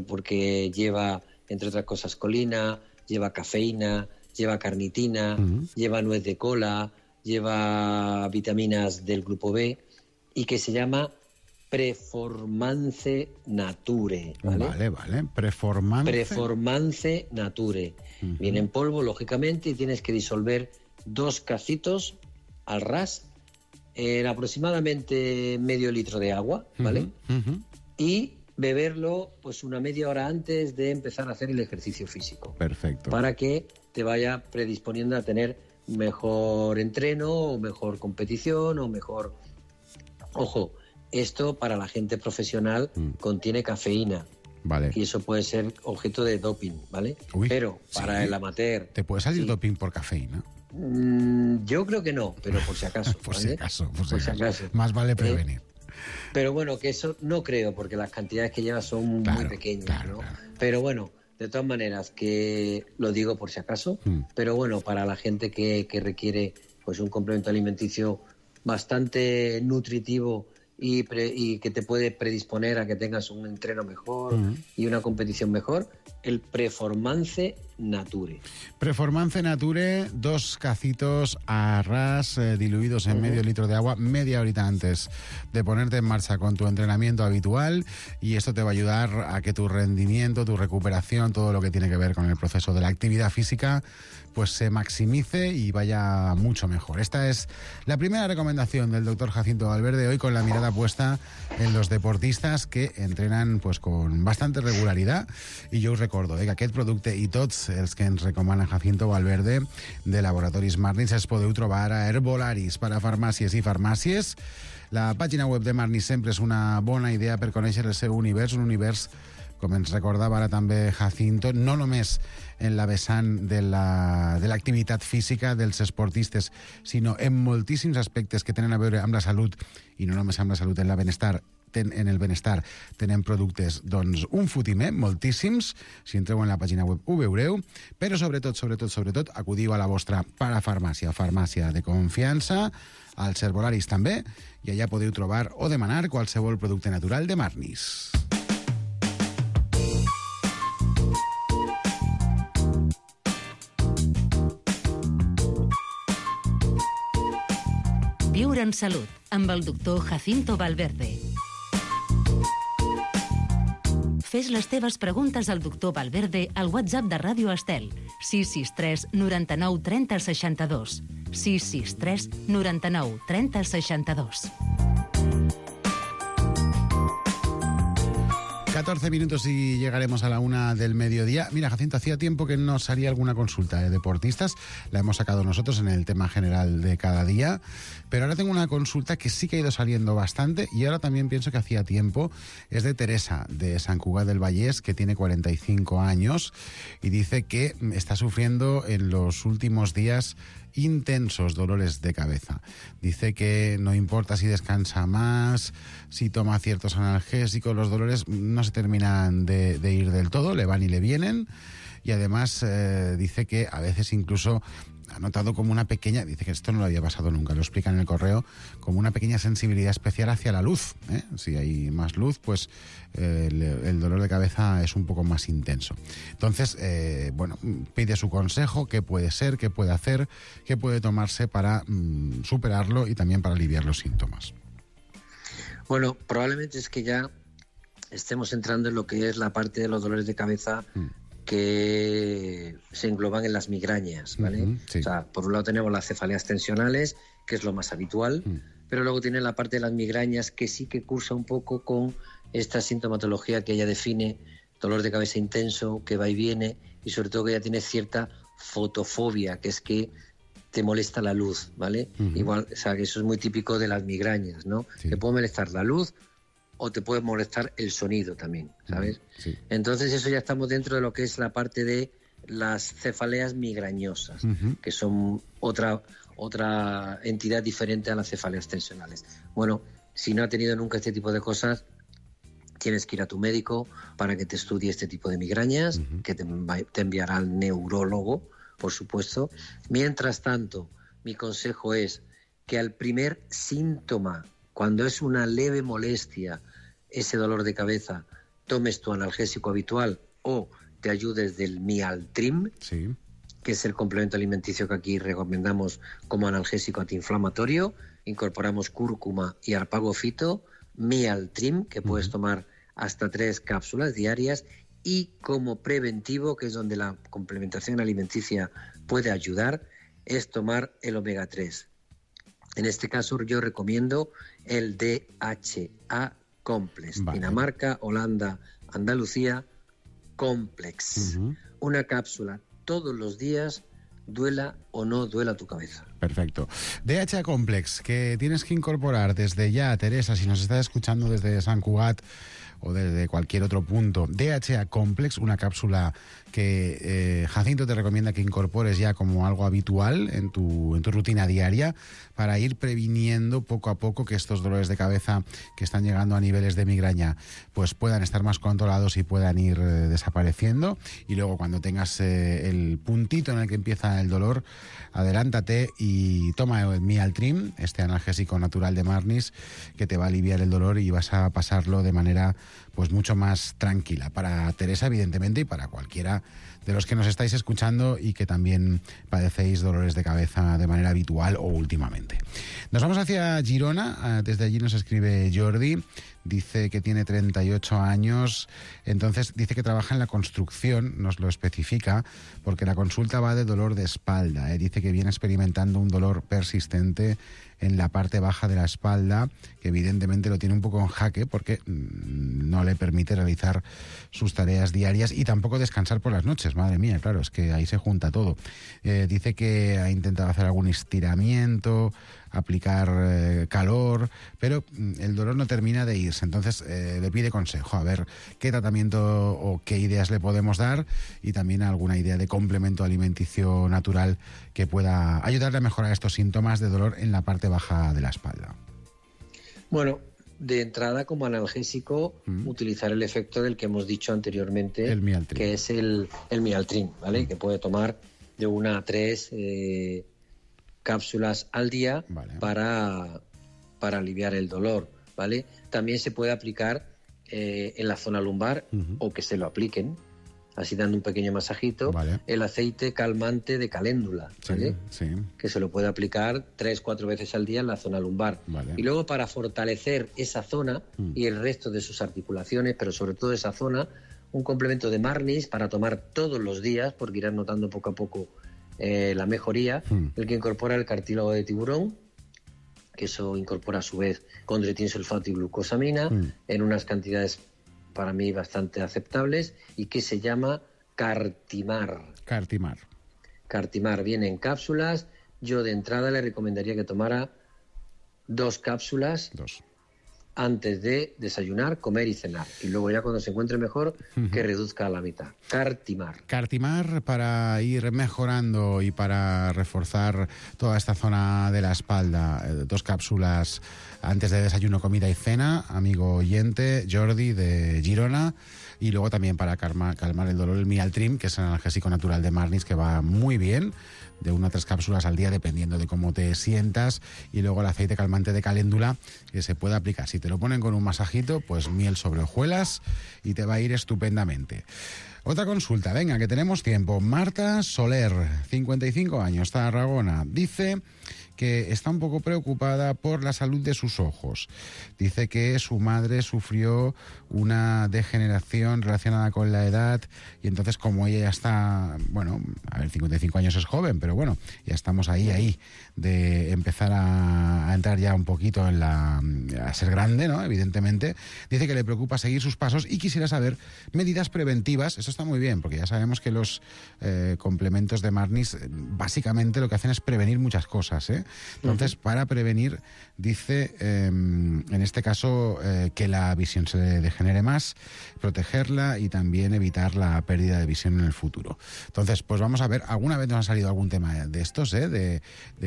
porque lleva, entre otras cosas, colina, lleva cafeína, lleva carnitina, lleva nuez de cola, lleva vitaminas del grupo B, y que se llama Preformance Nature, ¿vale? Vale. Preformance Nature. Viene en polvo, lógicamente, y tienes que disolver 2 cacitos al ras en aproximadamente medio litro de agua, ¿vale? Y beberlo pues una media hora antes de empezar a hacer el ejercicio físico. Perfecto. Para que te vaya predisponiendo a tener mejor entreno, o mejor competición, o mejor... Ojo, esto para la gente profesional contiene cafeína. Vale. Y eso puede ser objeto de doping, ¿vale? Pero para el amateur... ¿Te puede salir doping por cafeína? Yo creo que no, pero por si acaso. por si acaso. Más vale prevenir. Pero bueno, que eso no creo, porque las cantidades que lleva son muy pequeñas, ¿no? Claro. Pero bueno, de todas maneras, que lo digo por si acaso, pero bueno, para la gente que requiere pues un complemento alimenticio bastante nutritivo y que te puede predisponer a que tengas un entreno mejor y una competición mejor, el Preformance Nature. Performance Nature, 2 cacitos a ras diluidos en medio litro de agua media horita antes de ponerte en marcha con tu entrenamiento habitual, y esto te va a ayudar a que tu rendimiento, tu recuperación, todo lo que tiene que ver con el proceso de la actividad física, pues se maximice y vaya mucho mejor. Esta es la primera recomendación del doctor Jacinto Valverde, hoy con la mirada puesta en los deportistas que entrenan pues con bastante regularidad. I jo us recordo que aquest producte i tots els que ens recomana Jacinto Valverde de Laboratoris Marnis els podeu trobar a Herbolaris per a farmàcies i farmàcies. La pàgina web de Marnis sempre és una bona idea per conèixer el seu univers, un univers, com ens recordava ara també Jacinto, no només en la vessant de l'activitat física dels esportistes, sinó en moltíssims aspectes que tenen a veure amb la salut, i no només amb la salut, en el benestar tenen productes, doncs, un fotimer, moltíssims. Si entreu en la pàgina web ho veureu, però sobretot, acudiu a la vostra parafarmàcia, farmàcia de confiança, als herbolaris també, i allà podeu trobar o demanar qualsevol producte natural de Marnis. Viure en salut, amb el doctor Jacinto Valverde. Fes les teves preguntes al doctor Valverde al WhatsApp de Ràdio Estel, 663 99 30 62. 663 99 30 62. 14 minutos y llegaremos a la 1 del mediodía. Mira, Jacinto, hacía tiempo que no salía alguna consulta de deportistas. La hemos sacado nosotros en el tema general de cada día. Pero ahora tengo una consulta que sí que ha ido saliendo bastante, y ahora también pienso que hacía tiempo. Es de Teresa, de Sant Cugat del Vallès, que tiene 45 años y dice que está sufriendo en los últimos días intensos dolores de cabeza. Dice que no importa si descansa más, si toma ciertos analgésicos, los dolores no se terminan de ir del todo, le van y le vienen, y además dice que a veces incluso ha notado como una pequeña, dice que esto no lo había pasado nunca, lo explica en el correo, como una pequeña sensibilidad especial hacia la luz, ¿eh? Si hay más luz, pues el dolor de cabeza es un poco más intenso. Entonces, bueno, pide su consejo, qué puede ser, qué puede hacer, qué puede tomarse para superarlo y también para aliviar los síntomas. Bueno, probablemente es que ya estemos entrando en lo que es la parte de los dolores de cabeza que se engloban en las migrañas, ¿vale? Sí. O sea, por un lado tenemos las cefaleas tensionales, que es lo más habitual, pero luego tiene la parte de las migrañas que sí que cursa un poco con esta sintomatología que ella define, dolor de cabeza intenso, que va y viene, y sobre todo que ella tiene cierta fotofobia, que es que te molesta la luz, ¿vale? Igual, o sea, que eso es muy típico de las migrañas, ¿no? Sí. Te puede molestar la luz o te puede molestar el sonido también, ¿sabes? Sí. Entonces eso ya estamos dentro de lo que es la parte de las cefaleas migrañosas, que son otra entidad diferente a las cefaleas tensionales. Bueno, si no ha tenido nunca este tipo de cosas, tienes que ir a tu médico para que te estudie este tipo de migrañas, que te enviará al neurólogo, por supuesto. Mientras tanto, mi consejo es que al primer síntoma, cuando es una leve molestia, ese dolor de cabeza, tomes tu analgésico habitual o te ayudes del Mialtrim, sí, que es el complemento alimenticio que aquí recomendamos como analgésico antiinflamatorio. Incorporamos cúrcuma y arpago fito, Mialtrim, que puedes tomar hasta 3 cápsulas diarias, y como preventivo, que es donde la complementación alimenticia puede ayudar, es tomar el omega 3. En este caso yo recomiendo el DHA Complex, vale. Dinamarca, Holanda, Andalucía, Complex. Una cápsula todos los días, duela o no duela tu cabeza. Perfecto. DHA Complex, que tienes que incorporar desde ya, Teresa, si nos estás escuchando desde Sant Cugat o desde cualquier otro punto. DHA Complex, una cápsula que Jacinto te recomienda que incorpores ya como algo habitual en tu rutina diaria, para ir previniendo poco a poco que estos dolores de cabeza que están llegando a niveles de migraña pues puedan estar más controlados y puedan ir desapareciendo. Y luego, cuando tengas el puntito en el que empieza el dolor, adelántate y toma el Mialtrim, este analgésico natural de Marnis, que te va a aliviar el dolor y vas a pasarlo de manera pues mucho más tranquila. Para Teresa, evidentemente, y para cualquiera de los que nos estáis escuchando y que también padecéis dolores de cabeza de manera habitual o últimamente. Nos vamos hacia Girona. Desde allí nos escribe Jordi. Dice que tiene 38 años, entonces dice que trabaja en la construcción, nos lo especifica, porque la consulta va de dolor de espalda. Dice que viene experimentando un dolor persistente en la parte baja de la espalda, que evidentemente lo tiene un poco en jaque porque no le permite realizar sus tareas diarias y tampoco descansar por las noches. Madre mía, claro, es que ahí se junta todo. Dice que ha intentado hacer algún estiramiento, aplicar calor, pero el dolor no termina de irse. Entonces le pide consejo, a ver qué tratamiento o qué ideas le podemos dar y también alguna idea de complemento alimenticio natural que pueda ayudarle a mejorar estos síntomas de dolor en la parte baja de la espalda. Bueno, de entrada como analgésico, utilizar el efecto del que hemos dicho anteriormente, el Mialtrin, que es el Mialtrin, ¿vale? Que puede tomar de 1 a 3 cápsulas al día, vale, para aliviar el dolor, ¿vale? También se puede aplicar en la zona lumbar, o que se lo apliquen, así dando un pequeño masajito, vale, el aceite calmante de caléndula, ¿vale? Sí, sí. Que se lo puede aplicar 3-4 veces al día en la zona lumbar. Vale. Y luego, para fortalecer esa zona y el resto de sus articulaciones, pero sobre todo esa zona, un complemento de Marnis para tomar todos los días, porque irás notando poco a poco la mejoría, el que incorpora el cartílago de tiburón, que eso incorpora a su vez condroitin sulfato y glucosamina en unas cantidades para mí bastante aceptables, y que se llama Cartimar. Cartimar viene en cápsulas. Yo de entrada le recomendaría que tomara 2 cápsulas antes de desayunar, comer y cenar, y luego ya cuando se encuentre mejor que reduzca a la mitad. Cartimar para ir mejorando y para reforzar toda esta zona de la espalda. 2 cápsulas antes de desayuno, comida y cena, amigo oyente Jordi de Girona. Y luego también para calmar el dolor, el Mialtrin, que es el analgésico natural de Marnis, que va muy bien, de 1 a 3 cápsulas al día, dependiendo de cómo te sientas. Y luego el aceite calmante de caléndula, que se puede aplicar. Si te lo ponen con un masajito, pues miel sobre hojuelas y te va a ir estupendamente. Otra consulta, venga, que tenemos tiempo. Marta Soler, 55 años, Tarragona. Dice que está un poco preocupada por la salud de sus ojos. Dice que su madre sufrió una degeneración relacionada con la edad, y entonces, como ella ya está, bueno, a ver, 55 años es joven, pero bueno, ya estamos ahí de empezar a entrar ya un poquito en a ser grande, ¿no? Evidentemente. Dice que le preocupa seguir sus pasos y quisiera saber medidas preventivas. Eso está muy bien, porque ya sabemos que los complementos de Marnis básicamente lo que hacen es prevenir muchas cosas, ¿eh? Entonces, para prevenir, dice, en este caso, que la visión se le degenere más, protegerla y también evitar la pérdida de visión en el futuro. Entonces, pues vamos a ver, alguna vez nos ha salido algún tema de estos,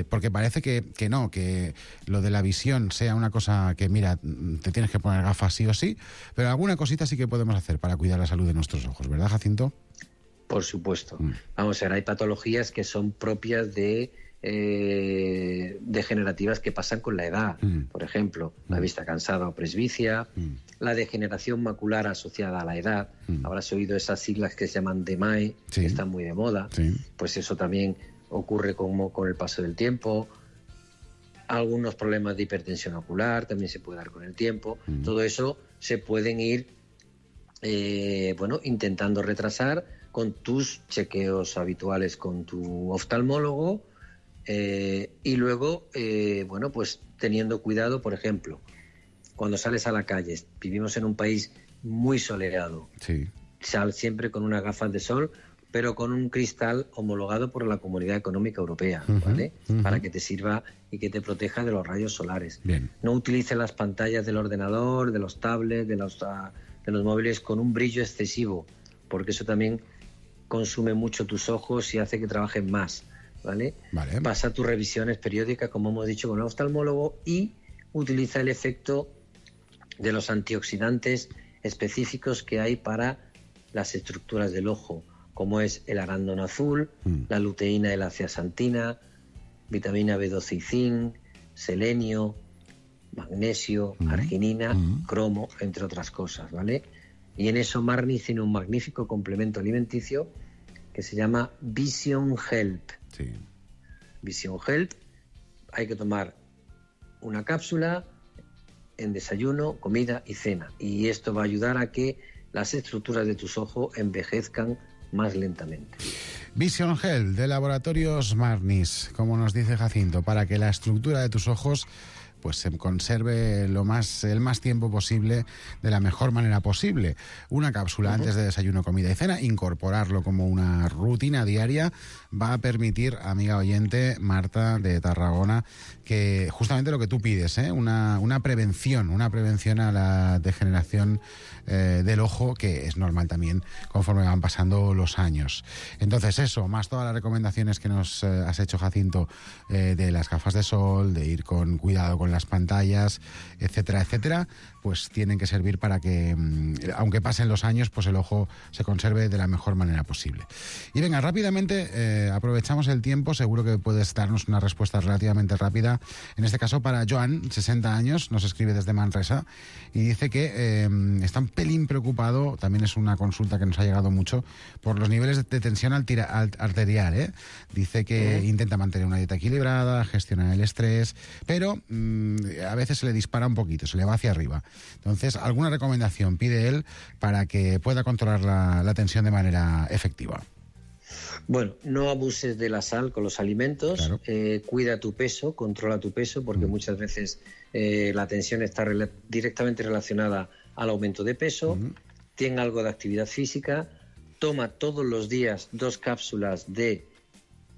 porque parece que no, que lo de la visión sea una cosa que, mira, te tienes que poner gafas sí o sí, pero alguna cosita sí que podemos hacer para cuidar la salud de nuestros ojos, ¿verdad, Jacinto? Por supuesto. Vamos a ver, hay patologías que son propias de degenerativas que pasan con la edad. Por ejemplo, la vista cansada o presbicia, la degeneración macular asociada a la edad. Habrás oído esas siglas que se llaman DMAE, que están muy de moda. Pues eso también ocurre con el paso del tiempo. Algunos problemas de hipertensión ocular también se puede dar con el tiempo. Todo eso se pueden ir intentando retrasar con tus chequeos habituales con tu oftalmólogo, y luego pues teniendo cuidado. Por ejemplo, cuando sales a la calle, vivimos en un país muy soleado, sal siempre con unas gafas de sol, pero con un cristal homologado por la Comunidad Económica Europea, ¿vale? Para que te sirva y que te proteja de los rayos solares. Bien. No utilices las pantallas del ordenador, de los tablets, de los móviles con un brillo excesivo, porque eso también consume mucho tus ojos y hace que trabajen más, ¿vale? Pasa tus revisiones periódicas, como hemos dicho, con el oftalmólogo, y utiliza el efecto de los antioxidantes específicos que hay para las estructuras del ojo, como es el arándano azul, la luteína y la zeaxantina, vitamina B12 y zinc, selenio, magnesio, arginina, cromo, entre otras cosas, ¿vale? Y en eso Marnis tiene un magnífico complemento alimenticio que se llama Vision Help. Sí. Vision Help, hay que tomar una cápsula en desayuno, comida y cena. Y esto va a ayudar a que las estructuras de tus ojos envejezcan más lentamente. Vision Health de Laboratorios Marnis, como nos dice Jacinto, para que la estructura de tus ojos pues se conserve el más tiempo posible, de la mejor manera posible. Una cápsula antes de desayuno, comida y cena, incorporarlo como una rutina diaria, va a permitir, amiga oyente, Marta de Tarragona, que justamente lo que tú pides, una prevención a la degeneración del ojo, que es normal también conforme van pasando los años. Entonces eso, más todas las recomendaciones que nos has hecho, Jacinto, de las gafas de sol, de ir con cuidado con las pantallas, etcétera, etcétera, pues tienen que servir para que, aunque pasen los años, pues el ojo se conserve de la mejor manera posible. Y venga, rápidamente, aprovechamos el tiempo, seguro que puedes darnos una respuesta relativamente rápida. En este caso para Joan, 60 años, nos escribe desde Manresa y dice que está un pelín preocupado, también es una consulta que nos ha llegado mucho, por los niveles de tensión arterial. Dice que intenta mantener una dieta equilibrada, gestionar el estrés, pero a veces se le dispara un poquito, se le va hacia arriba. Entonces, ¿alguna recomendación pide él para que pueda controlar la tensión de manera efectiva? Bueno, no abuses de la sal con los alimentos, claro. Cuida tu peso, controla tu peso, porque muchas veces la tensión está directamente relacionada al aumento de peso. Ten algo de actividad física, toma todos los días 2 cápsulas de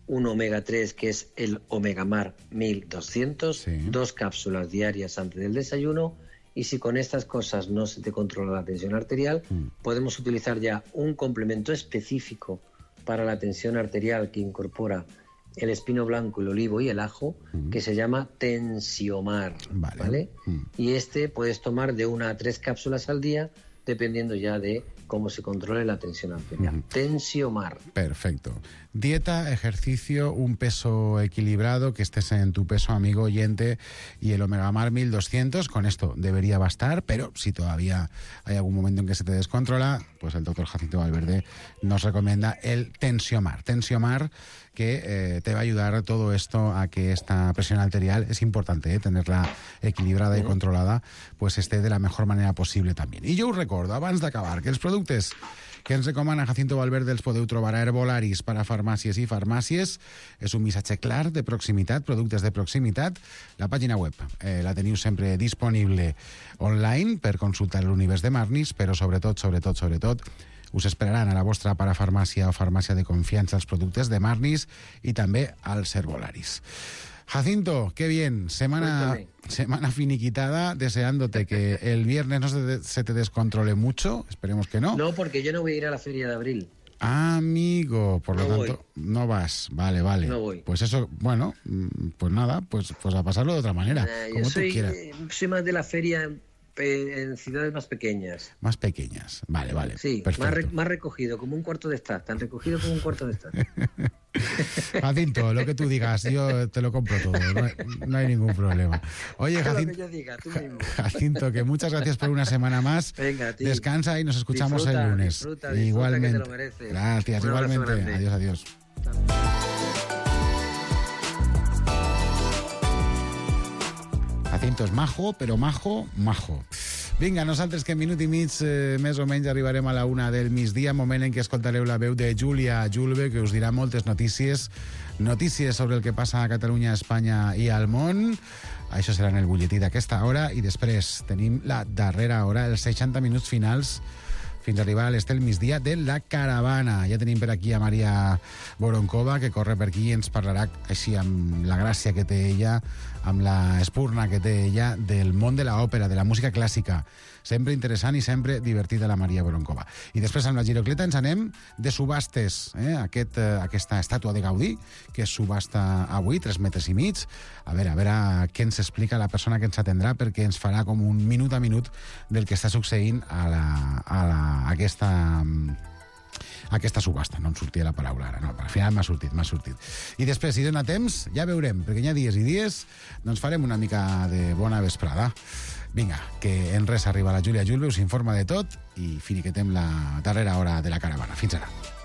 un omega 3, que es el Omegamar 1200, 2 cápsulas diarias antes del desayuno, y si con estas cosas no se te controla la tensión arterial, podemos utilizar ya un complemento específico para la tensión arterial que incorpora el espino blanco, el olivo y el ajo, que se llama Tensiomar, ¿vale? Y puedes tomar de 1 a 3 cápsulas al día, dependiendo ya de cómo se controle la tensión arterial. Tensiomar. Perfecto. Dieta, ejercicio, un peso equilibrado, que estés en tu peso, amigo oyente, y el Omegamar 1200, con esto debería bastar, pero si todavía hay algún momento en que se te descontrola, pues el doctor Jacinto Valverde nos recomienda el Tensiomar. Tensiomar, que te va a ayudar todo esto a que esta presión arterial, es importante tenerla equilibrada i controlada, pues esté de la mejor manera possible també. I jo us recordo, abans d'acabar, que els productes que ens recomana Jacinto Valverde els podeu trobar a Herbolaris per a farmàcies i farmàcies. És un missatge clar de proximitat, productes de proximitat. La pàgina web la teniu sempre disponible online per consultar l'univers de Marnis, però sobretot, us esperaran a la vostra parafarmàcia o farmàcia de confiança els productes de Marnis i també als Herbolaris. Jacinto, qué bien. Semana finiquitada, deseándote que el viernes no se te descontrole mucho. Esperemos que no. No, porque yo no voy a ir a la feria de abril. Amigo, por lo tanto, no vas. Vale. No voy. Pues eso, bueno, pues nada, pues a pasarlo de otra manera, como tú quieras. Soy más de la feria en ciudades más pequeñas. Más pequeñas, vale. Sí, perfecto. Más recogido, como un cuarto de estar. Tan recogido como un cuarto de estar. Jacinto, lo que tú digas, yo te lo compro todo, no hay ningún problema. Oye, Jacinto, lo que yo diga, tú mismo. Jacinto, que muchas gracias por una semana más. Venga, tío. Descansa y nos escuchamos el lunes. Disfruta, igualmente. Que te lo mereces. Gracias, igualmente. Adiós. Jacinto és majo, però majo. Vinga, nosaltres que en minut i mig més o menys arribarem a la 1 del migdia, moment en què escoltareu la veu de Júlia Julve, que us dirà moltes notícies sobre el que passa a Catalunya, a Espanya i al món. Això serà en el butlletí d'aquesta hora, i després tenim la darrera hora, els 60 minuts finals, fins a arribar a les del migdia de la caravana. Ja tenim per aquí a Maria Voronkova, que corre per aquí i ens parlarà així amb la gràcia que té ella, amb la espurna que té ella, del món de l'òpera, de la música clàssica. Sempre interessant i sempre divertida la Maria Voronkova. I després amb la Girocleta ens anem de subhastes. Aquesta estàtua de Gaudí, que es subhasta avui, 3,5 metres. A veure què ens explica la persona que ens atendrà, perquè ens farà com un minut a minut del que està succeint a aquesta subhasta. No em sortia la paraula ara, no, al final m'ha sortit. I després, si dona temps, ja veurem, perquè hi ha dies i dies, doncs farem una mica de bona vesprada. Vinga, que en res arriba la Júlia Julve, us informa de tot i finiquetem la darrera hora de la caravana. Fins ara.